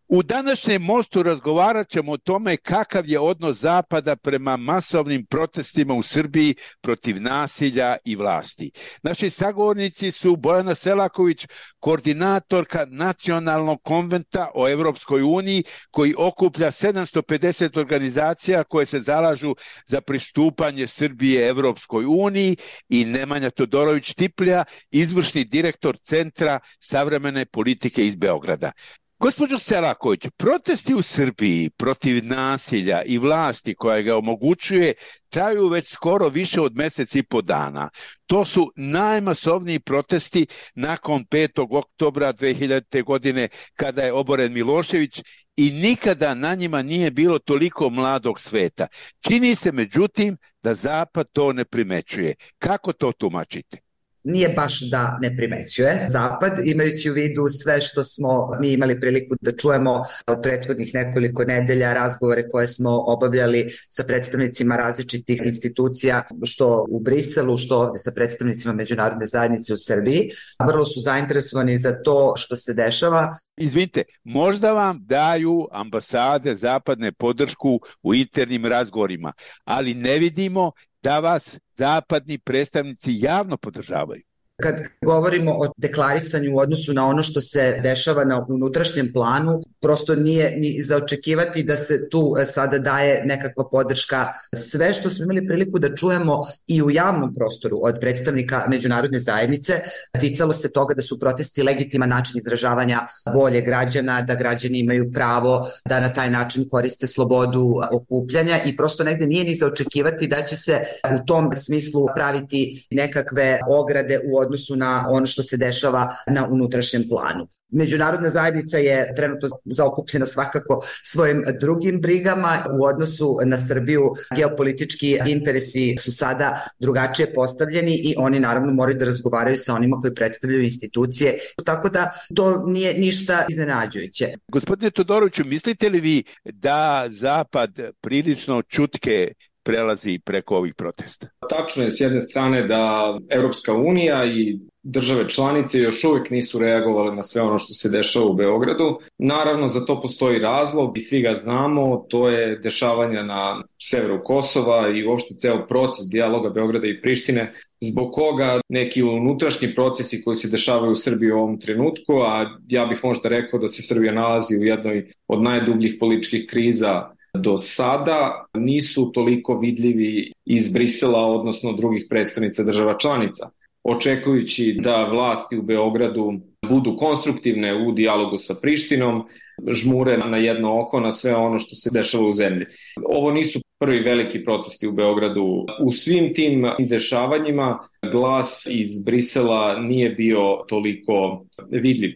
U današnjem mostu razgovarat ćemo o tome kakav je odnos Zapada prema masovnim protestima u Srbiji protiv nasilja i vlasti. Naši sagovornici su Bojana Selaković, koordinatorka Nacionalnog konventa o Evropskoj uniji, koji okuplja sedamsto pedeset organizacija koje se zalažu za pristupanje Srbije Evropskoj uniji, i Nemanja Todorović-Tiplija, izvršni direktor Centra savremene politike iz Beograda. Gospođo Selaković, protesti u Srbiji protiv nasilja i vlasti koja ga omogućuje traju već skoro više od mjesec i po dana. To su najmasovniji protesti nakon petog oktobra dve hiljadite. godine kada je oboren Milošević, i nikada na njima nije bilo toliko mladog sveta. Čini se međutim da Zapad to ne primećuje. Kako to tumačite? Nije baš da ne primećuje Zapad, imajući u vidu sve što smo mi imali priliku da čujemo od prethodnih nekoliko nedelja, razgovore koje smo obavljali sa predstavnicima različitih institucija, što u Briselu, što ovdje sa predstavnicima međunarodne zajednice u Srbiji. Vrlo su zainteresovani za to što se dešava. Izvinite, možda vam daju ambasade zapadne podršku u internim razgovorima, ali ne vidimo da vas zapadni predstavnici javno podržavaju. Kad govorimo o deklarisanju u odnosu na ono što se dešava na unutrašnjem planu, prosto nije ni za očekivati da se tu sada daje nekakva podrška. Sve što smo imali priliku da čujemo i u javnom prostoru od predstavnika međunarodne zajednice ticalo se toga da su protesti legitiman način izražavanja volje građana, da građani imaju pravo da na taj način koriste slobodu okupljanja, i prosto negde nije ni za očekivati da će se u tom smislu praviti nekakve ograde u odnosu na ono što se dešava na unutrašnjem planu. Međunarodna zajednica je trenutno zaokupljena svakako svojim drugim brigama u odnosu na Srbiju. Geopolitički interesi su sada drugačije postavljeni i oni naravno moraju da razgovaraju sa onima koji predstavljaju institucije, tako da to nije ništa iznenađujuće. Gospodine Todoroviću, mislite li vi da Zapad prilično čutke prelazi preko ovih protesta? Tačno je s jedne strane da Evropska unija i države članice još uvijek nisu reagovale na sve ono što se dešava u Beogradu. Naravno, za to postoji razlog i svi ga znamo, to je dešavanja na severu Kosova i uopšte ceo proces dijaloga Beograda i Prištine, zbog koga neki unutrašnji procesi koji se dešavaju u Srbiji u ovom trenutku, a ja bih možda rekao da se Srbija nalazi u jednoj od najdubljih političkih kriza do sada nisu toliko vidljivi iz Brisela, odnosno drugih predstavnica država članica. Očekujući da vlasti u Beogradu budu konstruktivne u dijalogu sa Prištinom, žmure na jedno oko na sve ono što se dešava u zemlji. Ovo nisu prvi veliki protesti u Beogradu. U svim tim dešavanjima glas iz Brisela nije bio toliko vidljiv.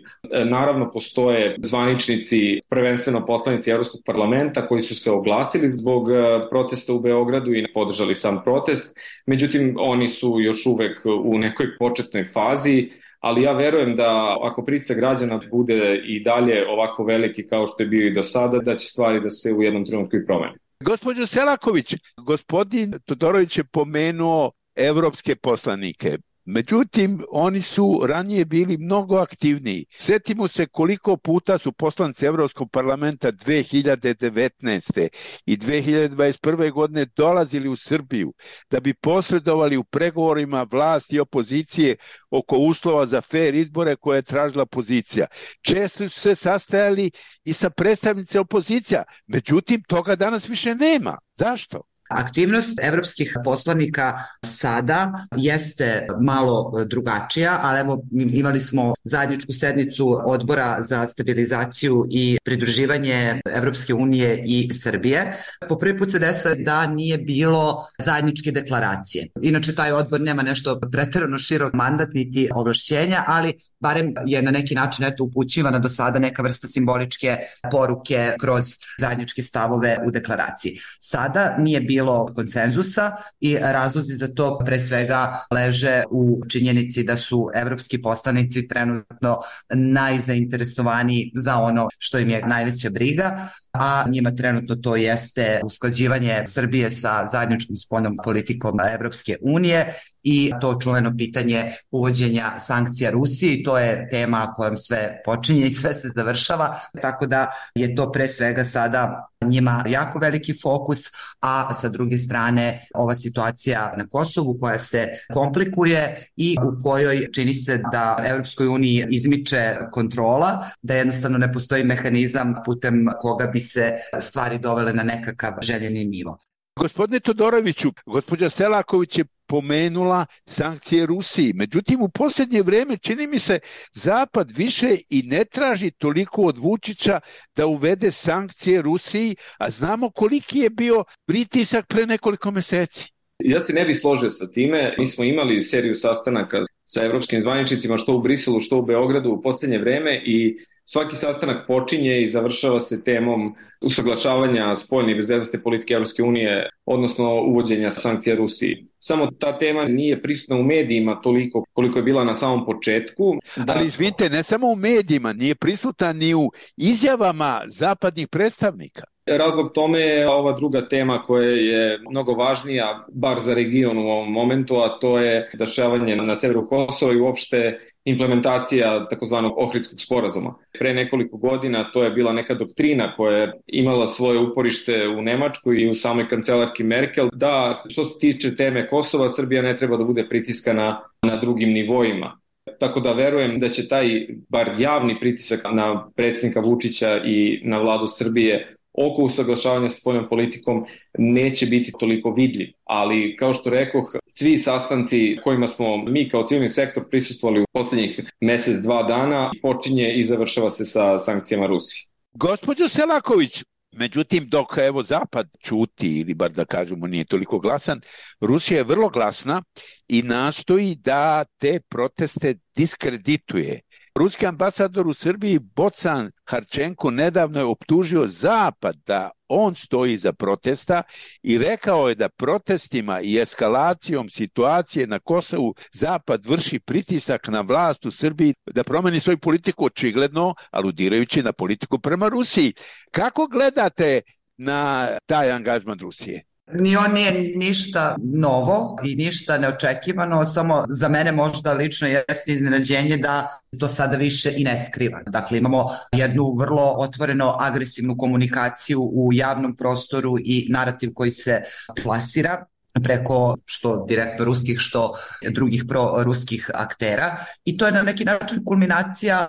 Naravno, postoje zvaničnici, prvenstveno poslanici Evropskog parlamenta, koji su se oglasili zbog protesta u Beogradu i podržali sam protest. Međutim, oni su još uvek u nekoj početnoj fazi, ali ja verujem da ako pritisak građana bude i dalje ovako veliki kao što je bio i do sada, da će stvari da se u jednom trenutku i promene. Gospođo Selaković, gospodin Todorović je pomenuo evropske poslanike. Međutim, oni su ranije bili mnogo aktivniji. Sjetimo se koliko puta su poslanici Evropskog parlamenta dve hiljade devetnaeste. i dve hiljade dvadeset prve. godine dolazili u Srbiju da bi posredovali u pregovorima vlasti i opozicije oko uslova za fair izbore koje je tražila opozicija. Često su se sastajali i sa predstavnicima opozicija. Međutim, toga danas više nema. Zašto? Aktivnost evropskih poslanika sada jeste malo drugačija, ali evo imali smo zajedničku sednicu Odbora za stabilizaciju i pridruživanje Evropske unije i Srbije. Po prvi put se desilo da nije bilo zajedničke deklaracije. Inače, taj odbor nema nešto preterano širok mandat niti ovlašćenja, ali barem je na neki način eto upućivana do sada neka vrsta simboličke poruke kroz zajedničke stavove u deklaraciji. Sada nije bilo bilo konsenzusa i razlozi za to pre svega leže u činjenici da su evropski poslanici trenutno najzainteresovaniji za ono što im je najveća briga, a njima trenutno to jeste usklađivanje Srbije sa zajedničkom spoljnom politikom Evropske unije i to čuveno pitanje uvođenja sankcija Rusiji. To je tema kojom sve počinje i sve se završava, tako da je to pre svega sada njima jako veliki fokus, a sa druge strane ova situacija na Kosovu koja se komplikuje i u kojoj čini se da Evropskoj uniji izmiče kontrola, da jednostavno ne postoji mehanizam putem koga bi se stvari dovele na nekakav željeni nivo. Gospodine Todoroviću, gospođa Selaković je pomenula sankcije Rusiji. Međutim, u posljednje vrijeme čini mi se Zapad više i ne traži toliko od Vučića da uvede sankcije Rusiji, a znamo koliki je bio pritisak pre nekoliko mjeseci. Ja se ne bih složio sa time. Mi smo imali seriju sastanaka sa evropskim zvaničnicima što u Briselu, što u Beogradu u posljednje vrijeme i svaki sastanak počinje i završava se temom usaglašavanja spoljne i bezbednosne politike Evropske unije, odnosno uvođenja sankcija Rusiji. Samo ta tema nije prisutna u medijima toliko koliko je bila na samom početku. Da... Ali izvinite, ne samo u medijima, nije prisutna ni u izjavama zapadnih predstavnika. Razlog tome je ova druga tema koja je mnogo važnija, bar za region u ovom momentu, a to je dešavanje na severu Kosova i uopšte implementacija takozvanog Ohridskog sporazuma. Pre nekoliko godina to je bila neka doktrina koja je imala svoje uporište u Nemačkoj i u samoj kancelarki Merkel, da što se tiče teme Kosova, Srbija ne treba da bude pritiskana na drugim nivoima. Tako da verujem da će taj bar javni pritisak na predsjednika Vučića i na vladu Srbije oko usaglašavanja sa spoljnom politikom neće biti toliko vidljiv. Ali, kao što rekoh, svi sastanci kojima smo mi kao civilni sektor prisustvovali u posljednjih mjesec, dva dana, počinje i završava se sa sankcijama Rusiji. Gospođo Selaković, međutim, dok evo Zapad ćuti, ili bar da kažemo nije toliko glasan, Rusija je vrlo glasna i nastoji da te proteste diskredituje. Ruski ambasador u Srbiji Bocan Harčenko nedavno je optužio Zapad da on stoji iza protesta i rekao je da protestima i eskalacijom situacije na Kosovu Zapad vrši pritisak na vlast u Srbiji da promeni svoju politiku, očigledno aludirajući na politiku prema Rusiji. Kako gledate na taj angažman Rusije? Ni on nije ništa novo i ništa neočekivano, samo za mene možda lično jeste iznenađenje da to sada više i ne skriva. Dakle, imamo jednu vrlo otvoreno agresivnu komunikaciju u javnom prostoru i narativ koji se plasira. preko što direktno ruskih, što drugih proruskih aktera i to je na neki način kulminacija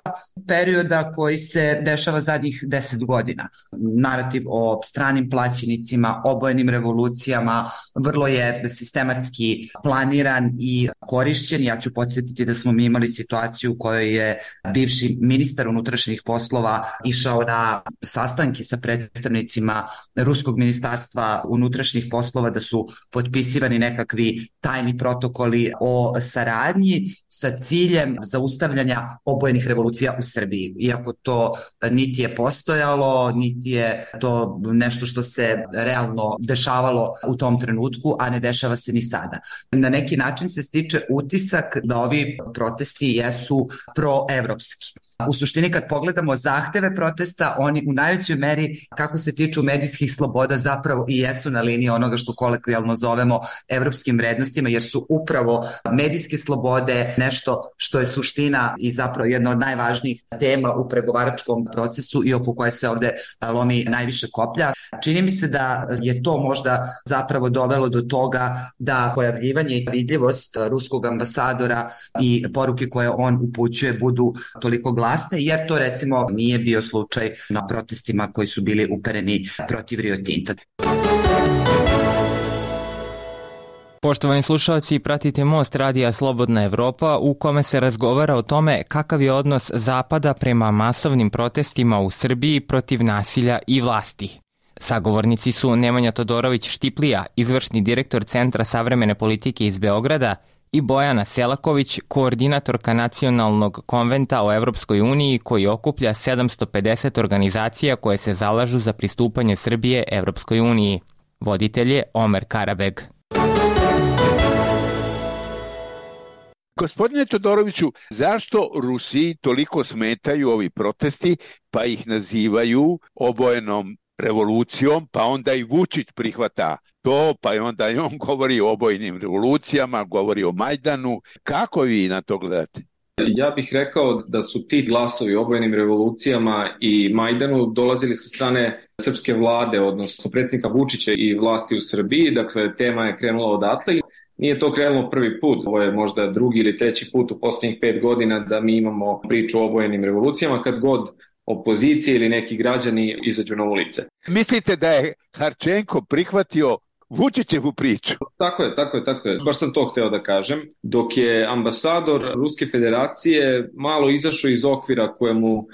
perioda koji se dešava zadnjih deset godina. Narativ o stranim plaćenicima, obojenim revolucijama vrlo je sistematski planiran i korišćen. Ja ću podsjetiti da smo mi imali situaciju u kojoj je bivši ministar unutrašnjih poslova išao na sastanke sa predstavnicima Ruskog ministarstva unutrašnjih poslova, da su potpisivani nekakvi tajni protokoli o saradnji sa ciljem zaustavljanja obojenih revolucija u Srbiji. Iako to niti je postojalo, niti je to nešto što se realno dešavalo u tom trenutku, a ne dešava se ni sada. Na neki način se stiče utisak da ovi protesti jesu proevropski. U suštini kad pogledamo zahteve protesta, oni u najvećoj meri, kako se tiču medijskih sloboda, zapravo i jesu na liniji onoga što kolokvijalno zovemo evropskim vrednostima, jer su upravo medijske slobode nešto što je suština i zapravo jedna od najvažnijih tema u pregovaračkom procesu i oko koje se ovde lomi najviše koplja. Čini mi se da je to možda zapravo dovelo do toga da pojavljivanje i vidljivost ruskog ambasadora i poruke koje on upućuje budu toliko glasne, jer to recimo nije bio slučaj na protestima koji su bili upereni protiv Rio Tinta. Poštovani slušalci, pratite Most radija Slobodna Evropa u kome se razgovara o tome kakav je odnos Zapada prema masovnim protestima u Srbiji protiv nasilja i vlasti. Sagovornici su Nemanja Todorović-Štiplija, izvršni direktor Centra savremene politike iz Beograda, i Bojana Selaković, koordinatorka Nacionalnog konventa o Evropskoj uniji koji okuplja sedamsto pedeset organizacija koje se zalažu za pristupanje Srbije Evropskoj uniji. Voditelj je Omer Karabeg. Gospodine Todoroviću, zašto Rusiji toliko smetaju ovi protesti, pa ih nazivaju obojenom revolucijom, pa onda i Vučić prihvata to, pa onda i on govori o obojenim revolucijama, govori o Majdanu. Kako vi na to gledate? Ja bih rekao da su ti glasovi o obojenim revolucijama i Majdanu dolazili sa strane srpske vlade, odnosno predsjednika Vučića i vlasti u Srbiji. Dakle, tema je krenula odatle. Nije to krenulo prvi put, ovo je možda drugi ili treći put u posljednjih pet godina da mi imamo priču o obojenim revolucijama kad god opozicije ili neki građani izađu na ulice. Mislite da je Harčenko prihvatio Vučićevu priču? Tako je, tako je, tako je. Baš sam to hteo da kažem. Dok je ambasador Ruske federacije malo izašao iz okvira kojemu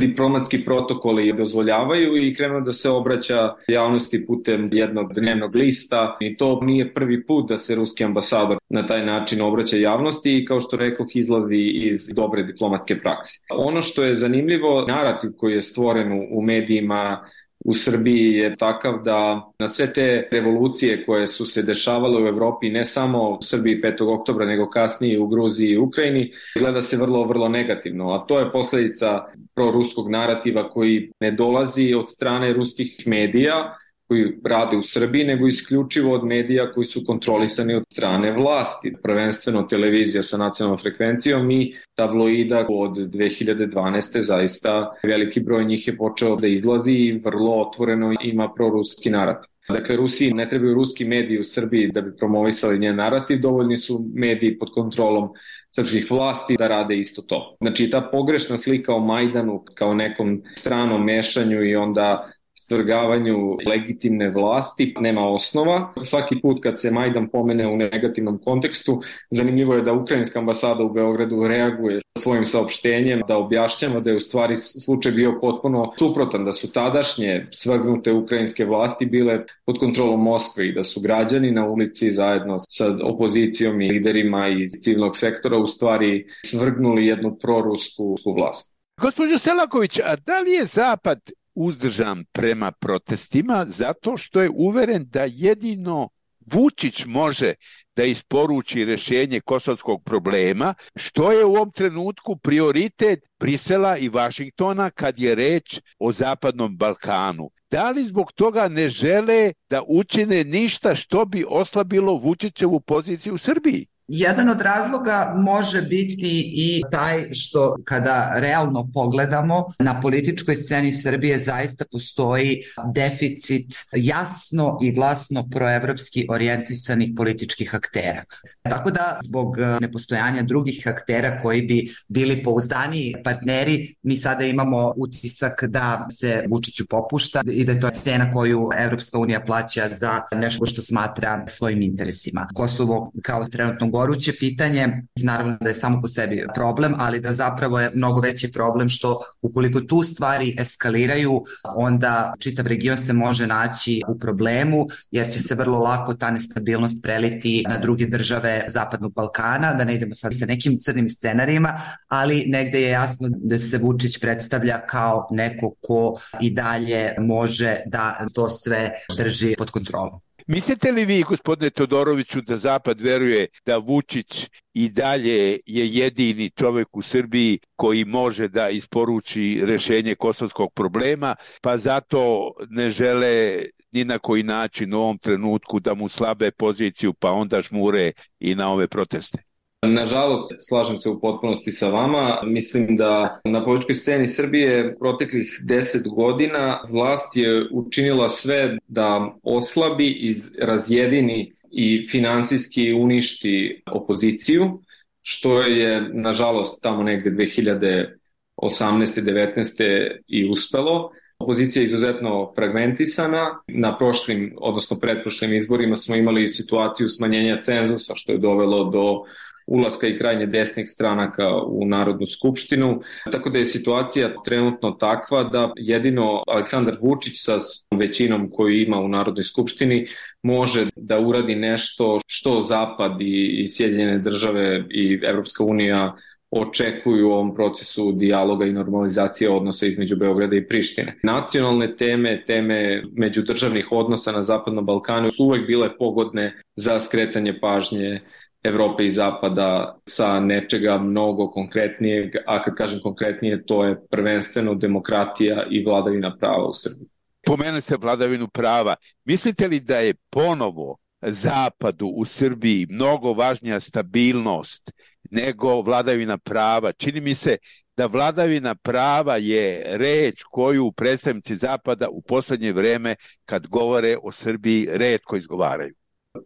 diplomatski protokoli dozvoljavaju i krenuo da se obraća javnosti putem jednog dnevnog lista. I to nije prvi put da se ruski ambasador na taj način obraća javnosti i kao što rekoh izlazi iz dobre diplomatske prakse. Ono što je zanimljivo, narativ koji je stvoren u medijima u Srbiji je takav da na sve te revolucije koje su se dešavale u Evropi, ne samo u Srbiji petog oktobra, nego kasnije u Gruziji i Ukrajini, gleda se vrlo, vrlo negativno. A to je posljedica proruskog narativa koji ne dolazi od strane ruskih medija koji rade u Srbiji, nego isključivo od medija koji su kontrolisani od strane vlasti. Prvenstveno televizija sa nacionalnom frekvencijom i tabloida od dve hiljade dvanaeste. Zaista veliki broj njih je počeo da izlazi i vrlo otvoreno ima proruski narativ. Dakle, Rusiji ne trebaju ruski mediji u Srbiji da bi promovisali njen narativ, dovoljni su mediji pod kontrolom srpskih vlasti da rade isto to. Znači, ta pogrešna slika o Majdanu kao nekom stranom mešanju i onda svrgavanju legitimne vlasti nema osnova. Svaki put kad se Majdan pomene u negativnom kontekstu, zanimljivo je da ukrajinska ambasada u Beogradu reaguje svojim saopštenjem, da objašnjava da je u stvari slučaj bio potpuno suprotan, da su tadašnje svrgnute ukrajinske vlasti bile pod kontrolom Moskve i da su građani na ulici zajedno sa opozicijom i liderima iz civilnog sektora u stvari svrgnuli jednu prorusku vlast. Gospođo Selaković, a da li je Zapad uzdržan prema protestima zato što je uveren da jedino Vučić može da isporuči rješenje kosovskog problema, što je u ovom trenutku prioritet Brisela i Vašingtona kad je reč o Zapadnom Balkanu? Da li zbog toga ne žele da učine ništa što bi oslabilo Vučićevu poziciju u Srbiji? Jedan od razloga može biti i taj što kada realno pogledamo na političkoj sceni Srbije zaista postoji deficit jasno i glasno proevropski orijentisanih političkih aktera. Tako da zbog nepostojanja drugih aktera koji bi bili pouzdaniji partneri, mi sada imamo utisak da se Vučiću popušta i da je to cena koju Evropska unija plaća za nešto što smatra svojim interesima. Kosovo kao trenutno goruće pitanje, naravno da je samo po sebi problem, ali da zapravo je mnogo veći problem što ukoliko tu stvari eskaliraju, onda čitav region se može naći u problemu, jer će se vrlo lako ta nestabilnost preliti na druge države Zapadnog Balkana, da ne idemo sad sa nekim crnim scenarijima, ali negde je jasno da se Vučić predstavlja kao neko ko i dalje može da to sve drži pod kontrolom. Mislite li vi, gospodine Todoroviću, da Zapad veruje da Vučić i dalje je jedini čovjek u Srbiji koji može da isporuči rešenje kosovskog problema, pa zato ne žele ni na koji način u ovom trenutku da mu slabe poziciju, pa onda žmure i na ove proteste? Nažalost, slažem se u potpunosti sa vama. Mislim da na političkoj sceni Srbije proteklih deset godina vlast je učinila sve da oslabi i razjedini i finansijski uništi opoziciju, što je nažalost tamo negde dve hiljade osamnaeste devetnaeste i uspelo. Opozicija je izuzetno fragmentisana. Na prošlim, odnosno pretprošlim izborima smo imali situaciju smanjenja cenzusa, što je dovelo do ulaska i krajnje desnih stranaka u Narodnu skupštinu, tako da je situacija trenutno takva da jedino Aleksandar Vučić sa većinom koju ima u Narodnoj skupštini može da uradi nešto što Zapad i Sjedinjene države i Evropska unija očekuju u ovom procesu dijaloga i normalizacije odnosa između Beograda i Prištine. Nacionalne teme, teme međudržavnih odnosa na Zapadnom Balkanu su uvek bile pogodne za skretanje pažnje Evrope i Zapada sa nečega mnogo konkretnijeg, a kad kažem konkretnije, to je prvenstveno demokratija i vladavina prava u Srbiji. Pomenuli ste vladavinu prava. Mislite li da je ponovo Zapadu u Srbiji mnogo važnija stabilnost nego vladavina prava? Čini mi se da vladavina prava je reč koju predstavnici Zapada u poslednje vreme, kad govore o Srbiji, retko izgovaraju.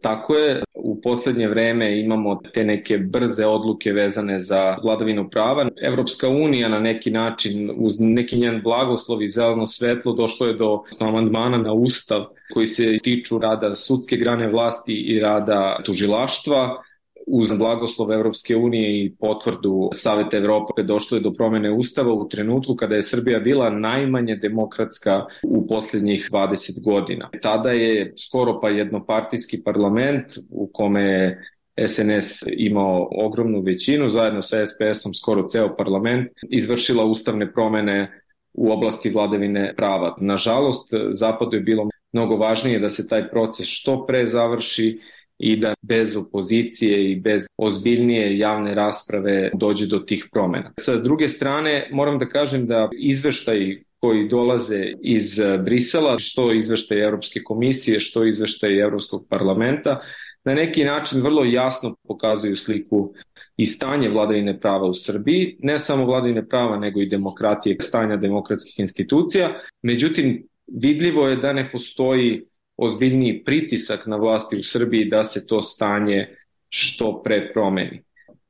Tako je, u poslednje vreme imamo te neke brze odluke vezane za vladavinu prava. Evropska unija na neki način, uz neki njen blagoslov i zeleno svetlo, došlo je do amandmana na ustav koji se tiču rada sudske grane vlasti i rada tužilaštva. Uz blagoslov Evropske unije i potvrdu Saveta Evrope došlo je do promene ustava u trenutku kada je Srbija bila najmanje demokratska u posljednjih dvadeset godina. Tada je skoro pa jednopartijski parlament u kome je S N S imao ogromnu većinu, zajedno sa S P S-om skoro ceo parlament, izvršila ustavne promene u oblasti vladavine prava. Nažalost, Zapadu je bilo mnogo važnije da se taj proces što pre završi i da bez opozicije i bez ozbiljnije javne rasprave dođe do tih promjena. Sa druge strane, moram da kažem da izveštaji koji dolaze iz Brisela, što izveštaji Evropske komisije, što izveštaji Evropskog parlamenta, na neki način vrlo jasno pokazuju sliku i stanje vladavine prava u Srbiji, ne samo vladavine prava, nego i demokratije, stanja demokratskih institucija. Međutim, vidljivo je da ne postoji ozbiljniji pritisak na vlasti u Srbiji da se to stanje što pre promeni.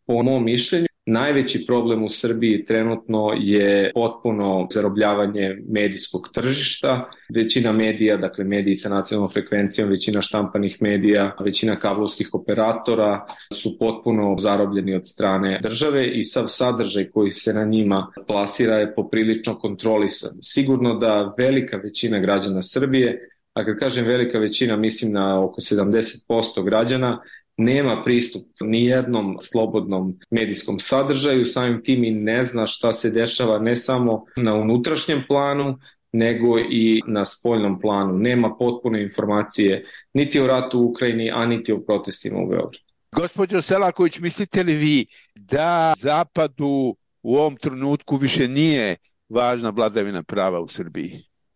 Po mom mišljenju, najveći problem u Srbiji trenutno je potpuno zarobljavanje medijskog tržišta. Većina medija, dakle mediji sa nacionalnom frekvencijom, većina štampanih medija, većina kablovskih operatora su potpuno zarobljeni od strane države i sav sadržaj koji se na njima plasira je poprilično kontrolisan. Sigurno da velika većina građana Srbije, a kad kažem velika većina, mislim na oko sedamdeset posto građana, nema pristup ni jednom slobodnom medijskom sadržaju, samim tim i ne zna šta se dešava ne samo na unutrašnjem planu, nego i na spoljnom planu. Nema potpune informacije niti o ratu u Ukrajini, a niti o protestima u Beogradu. Gospođo Selaković, mislite li vi da Zapadu u ovom trenutku više nije važna vladavina prava u Srbiji?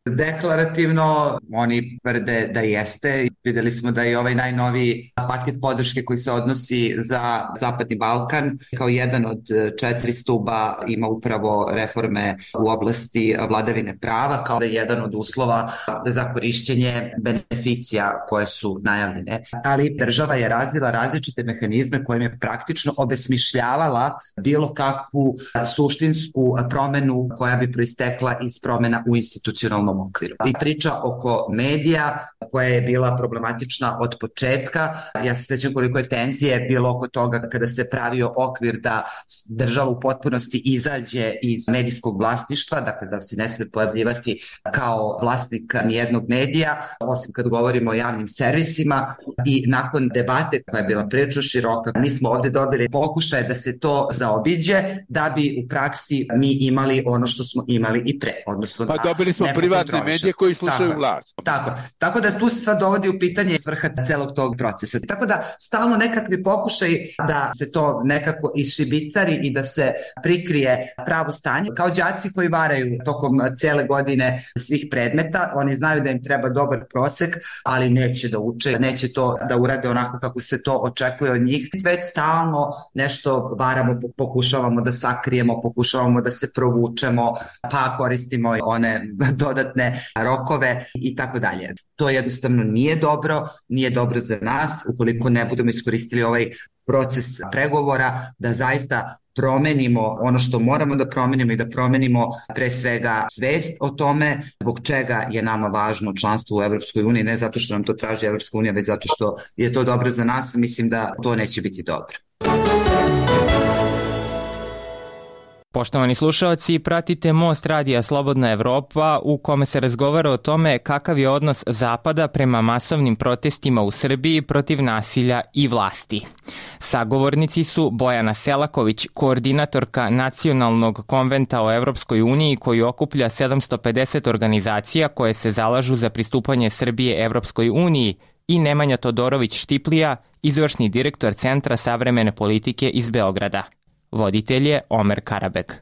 Deklarativno oni tvrde da jeste. Videli smo da je ovaj najnoviji paket podrške koji se odnosi za Zapadni Balkan kao jedan od četiri stuba ima upravo reforme u oblasti vladavine prava kao da je jedan od uslova za korišćenje beneficija koje su najavljene. Ali država je razvila različite mehanizme kojim je praktično obesmišljavala bilo kakvu suštinsku promenu koja bi proistekla iz promena u institucionalnom okviru. I priča oko medija koja je bila problematična od početka. Ja se sjećam koliko je tenzije bilo oko toga kada se pravio okvir da država u potpunosti izađe iz medijskog vlasništva, dakle da se ne sme pojavljivati kao vlasnik nijednog medija, osim kad govorimo o javnim servisima. I nakon debate koja je bila prilično široka, mi smo ovde dobili pokušaje da se to zaobiđe, da bi u praksi mi imali ono što smo imali i pre. Odnosno, pa dobili smo privatne medije koji slušaju tako, vlast. Tako, tako da tu se sad dovodi u pitanje svrha celog tog procesa. Tako da stalno nekakvi pokušaj da se to nekako išibicari i da se prikrije pravo stanje. Kao đaci koji varaju tokom cele godine svih predmeta, oni znaju da im treba dobar prosek, ali neće da uče, neće to da urade onako kako se to očekuje od njih. Već stalno nešto varamo, pokušavamo da sakrijemo, pokušavamo da se provučemo, pa koristimo one dodatne rokove i tako dalje. To jednostavno nije dobro, nije dobro za nas ukoliko ne budemo iskoristili ovaj proces pregovora da zaista promenimo ono što moramo da promenimo i da promenimo pre svega svest o tome zbog čega je nama važno članstvo u Evropskoj uniji, ne zato što nam to traži Evropska unija, već zato što je to dobro za nas. Mislim da to neće biti dobro. Poštovani slušalci, pratite Most radija Slobodna Evropa u kome se razgovara o tome kakav je odnos Zapada prema masovnim protestima u Srbiji protiv nasilja i vlasti. Sagovornici su Bojana Selaković, koordinatorka Nacionalnog konventa o Evropskoj uniji koji okuplja sedamsto pedeset organizacija koje se zalažu za pristupanje Srbije Evropskoj uniji, i Nemanja Todorović-Štiplija, izvršni direktor Centra savremene politike iz Beograda. Voditelj je Omer Karabek.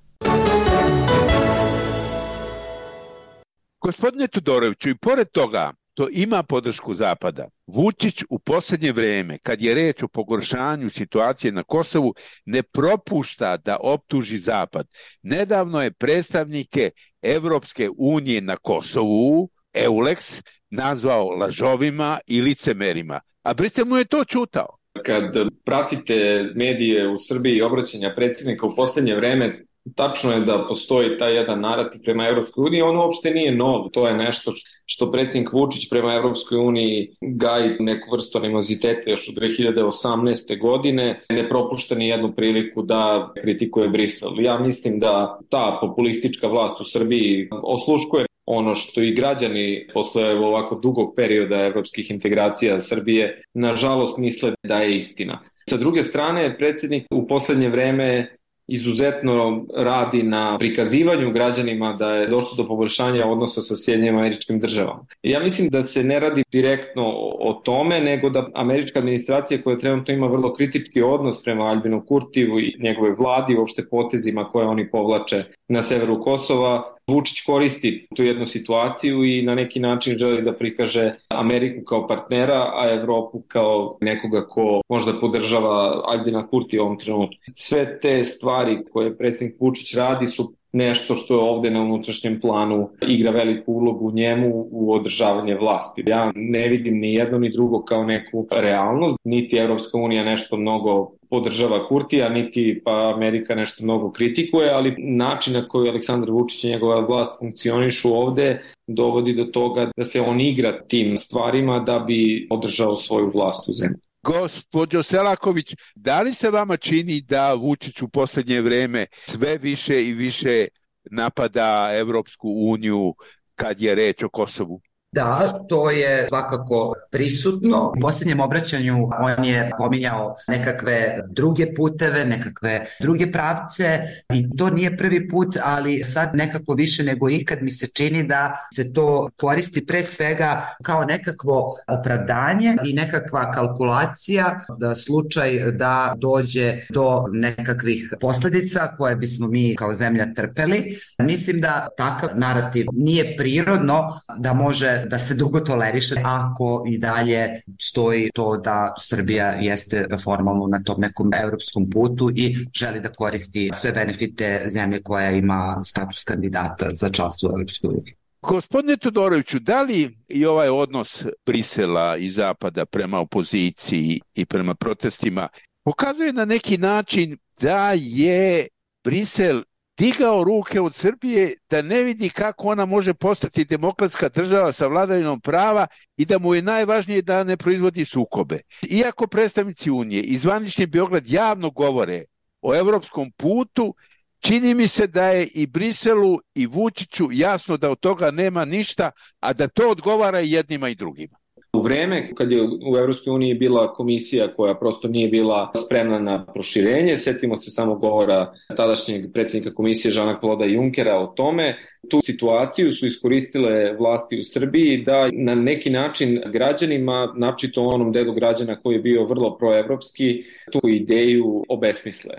Gospodine Todoroviću, i pored toga to ima podršku Zapada. Vučić u posljednje vreme, kad je reč o pogoršanju situacije na Kosovu, ne propušta da optuži Zapad. Nedavno je predstavnike Evropske unije na Kosovu, EULEX, nazvao lažovima i licemerima, a Brisel mu je to čutao. Kad pratite medije u Srbiji i obraćanja predsjednika u posljednje vreme, tačno je da postoji taj jedan narativ prema Evropskoj uniji, on uopšte nije nov, to je nešto što predsjednik Vučić prema Evropskoj uniji gaji neku vrstu animoziteta još od dve hiljade osamnaeste. godine, ne propušta ni jednu priliku da kritikuje Brisel. Ja mislim da ta populistička vlast u Srbiji osluškuje ono što i građani posle ovako dugog perioda evropskih integracija Srbije nažalost misle da je istina. Sa druge strane, predsjednik u posljednje vreme izuzetno radi na prikazivanju građanima da je došlo do poboljšanja odnosa sa Sjedinjenim Američkim Državama. Ja mislim da se ne radi direktno o tome, nego da američka administracija koja trenutno ima vrlo kritički odnos prema Aljbinu Kurtiju i njegove vladi, uopšte potezima koje oni povlače na severu Kosova, Vučić koristi tu jednu situaciju i na neki način želi da prikaže Ameriku kao partnera, a Evropu kao nekoga ko možda podržava Aljbina Kurtija u ovom trenutku. Sve te stvari koje predsjednik Vučić radi su nešto što je ovde na unutrašnjem planu igra veliku ulogu u njemu u održavanje vlasti. Ja ne vidim ni jedno ni drugo kao neku realnost, niti Evropska unija nešto mnogo podržava Kurtija, niti pa Amerika nešto mnogo kritikuje, ali način na koji Aleksandar Vučić i njegova vlast funkcionišu ovde dovodi do toga da se on igra tim stvarima da bi održao svoju vlast u zemlji. Gospođo Selaković, da li se vama čini da Vučić u posljednje vreme sve više i više napada Evropsku uniju kad je reč o Kosovu? Da, to je svakako prisutno. U posljednjem obraćanju on je pominjao nekakve druge puteve, nekakve druge pravce i to nije prvi put, ali sad nekako više nego ikad mi se čini da se to koristi pre svega kao nekakvo opravdanje i nekakva kalkulacija da slučaj da dođe do nekakvih posljedica koje bismo mi kao zemlja trpeli. Mislim da takav narativ nije prirodno da može da se dugo toleriše ako i dalje stoji to da Srbija jeste formalno na tom nekom evropskom putu i želi da koristi sve benefite zemlje koja ima status kandidata za članstvo u Evropskoj uniji. Gospodine Todoroviću, da li i ovaj odnos Brisela i Zapada prema opoziciji i prema protestima pokazuje na neki način da je Brisel digao ruke od Srbije, da ne vidi kako ona može postati demokratska država sa vladavinom prava i da mu je najvažnije da ne proizvodi sukobe. Iako predstavnici Unije i zvanični Beograd javno govore o evropskom putu, čini mi se da je i Briselu i Vučiću jasno da od toga nema ništa, a da to odgovara i jednima i drugima. U vreme kad je u Evropskoj uniji bila komisija koja prosto nije bila spremna na proširenje, setimo se samo govora tadašnjeg predsjednika komisije Jeana-Claude Junckera o tome, tu situaciju su iskoristile vlasti u Srbiji da na neki način građanima, naročito onom delu građana koji je bio vrlo proevropski, tu ideju obesmisle.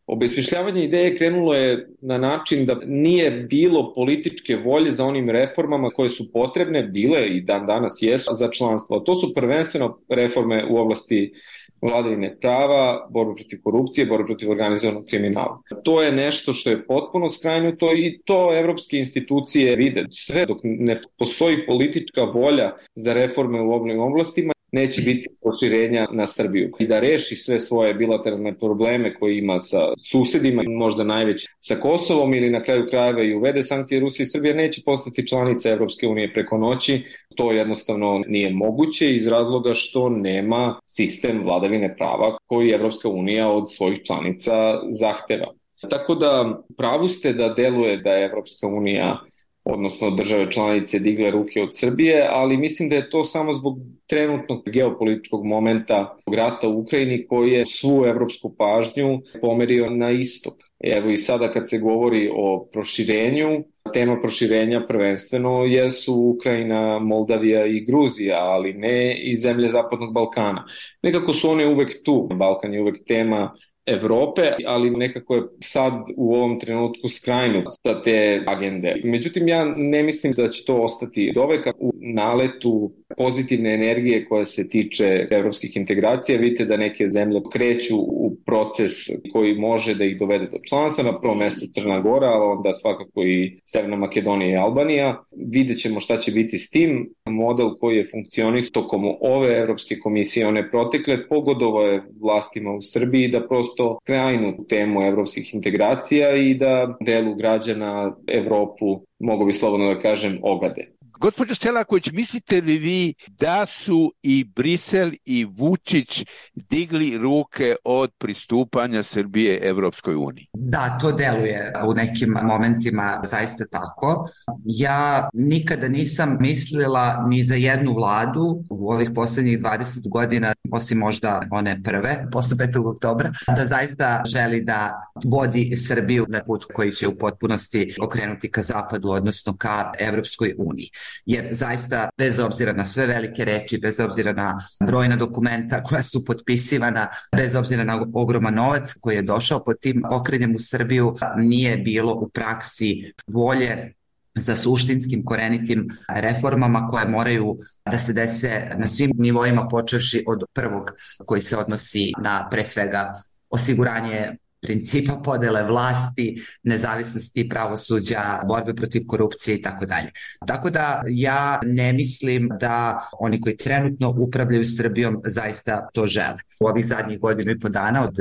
Obesmišljavanje ideje krenulo je na način da nije bilo političke volje za onim reformama koje su potrebne, bile i dan danas jesu za članstvo. To su prvenstveno reforme u oblasti vladavine prava, borbe protiv korupcije, borbe protiv organizovanog kriminala. To je nešto što je potpuno skrajnuto i to evropske institucije vide. Sve dok ne postoji politička volja za reforme u ovim oblastima, neće biti proširenja na Srbiju. I da reši sve svoje bilateralne probleme koje ima sa susedima, možda najveć sa Kosovom ili na kraju krajeva i uvede sankcije Rusije i Srbije, neće postati članica Evropske unije preko noći. To jednostavno nije moguće iz razloga što nema sistem vladavine prava koji Evropska unija od svojih članica zahteva. Tako da pravu ste da deluje da je Evropska unija, odnosno države članice, digle ruke od Srbije, ali mislim da je to samo zbog trenutnog geopolitičkog momenta rata u Ukrajini koji je svu evropsku pažnju pomerio na istok. Evo i sada kad se govori o proširenju, tema proširenja prvenstveno jesu Ukrajina, Moldavija i Gruzija, ali ne i zemlje Zapadnog Balkana. Nekako su one uvek tu. Balkan je uvek tema Evrope, ali nekako je sad u ovom trenutku skrajnut sa te agende. Međutim, ja ne mislim da će to ostati doveka u naletu pozitivne energije koja se tiče evropskih integracija. Vidite da neke zemlje kreću u proces koji može da ih dovede do članstva, na prvom mestu Crna Gora, ali onda svakako i Severna Makedonija i Albanija. Vidjet ćemo šta će biti s tim. Model koji je funkcionisao tokom ove Evropske komisije, one protekle, pogodovao je vlastima u Srbiji da prosto krajnu temu evropskih integracija i da delu građana Evropu, mogu bi slobodno da kažem, ogade. Gospođo Selaković, mislite li vi da su i Brisel i Vučić digli ruke od pristupanja Srbije Evropskoj uniji? Da, to deluje u nekim momentima zaista tako. Ja nikada nisam mislila ni za jednu vladu u ovih posljednjih dvadeset godina, osim možda one prve, posle petog oktobra, da zaista želi da vodi Srbiju na put koji će u potpunosti okrenuti ka zapadu, odnosno ka Evropskoj uniji. Jer zaista, bez obzira na sve velike reči, bez obzira na brojna dokumenta koja su potpisivana, bez obzira na ogroman novac koji je došao pod tim okrenjem u Srbiju, nije bilo u praksi volje za suštinskim, korenitim reformama koje moraju da se dese na svim nivoima, počevši od prvog koji se odnosi na pre svega osiguranje principa podele vlasti, nezavisnosti pravosuđa, borbe protiv korupcije i tako dalje. Tako da ja ne mislim da oni koji trenutno upravljaju Srbijom zaista to žele. U ovih zadnjih godinu i po dana od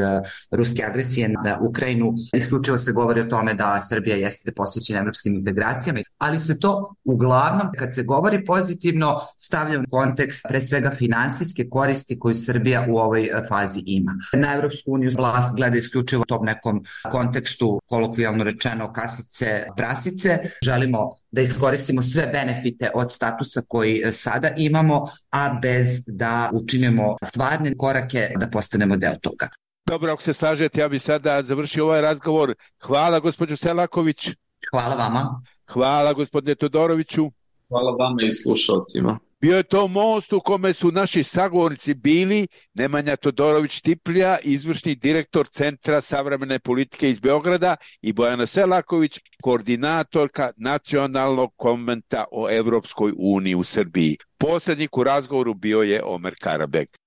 ruske agresije na Ukrajinu isključivo se govori o tome da Srbija jeste posvećena evropskim integracijama, ali se to uglavnom, kad se govori pozitivno, stavlja u kontekst pre svega finansijske koristi koju Srbija u ovoj fazi ima. Na Evropsku uniju vlast gleda isključivo tom nekom kontekstu, kolokvijalno rečeno kasice prasice. Želimo da iskoristimo sve benefite od statusa koji sada imamo, a bez da učinimo stvarne korake da postanemo deo toga. Dobro, ako se slažete, ja bih sada završio ovaj razgovor. Hvala, gospođo Selaković. Hvala vama. Hvala, gospodine Todoroviću. Hvala vama i slušalcima. Bio je to most u kome su naši sagovornici bili Nemanja Todorović-Tiplja, izvršni direktor Centra savremene politike iz Beograda, i Bojana Selaković, koordinatorka Nacionalnog konventa o Evropskoj uniji u Srbiji. Posrednik u razgovoru bio je Omer Karabek.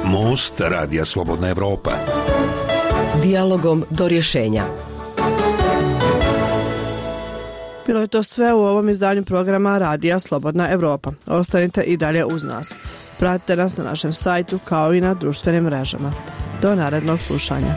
Most Radija Slobodna Evropa. Dijalogom do rješenja. Bilo je to sve u ovom izdanju programa Radija Slobodna Evropa. Ostanite i dalje uz nas. Pratite nas na našem sajtu kao i na društvenim mrežama. Do narednog slušanja.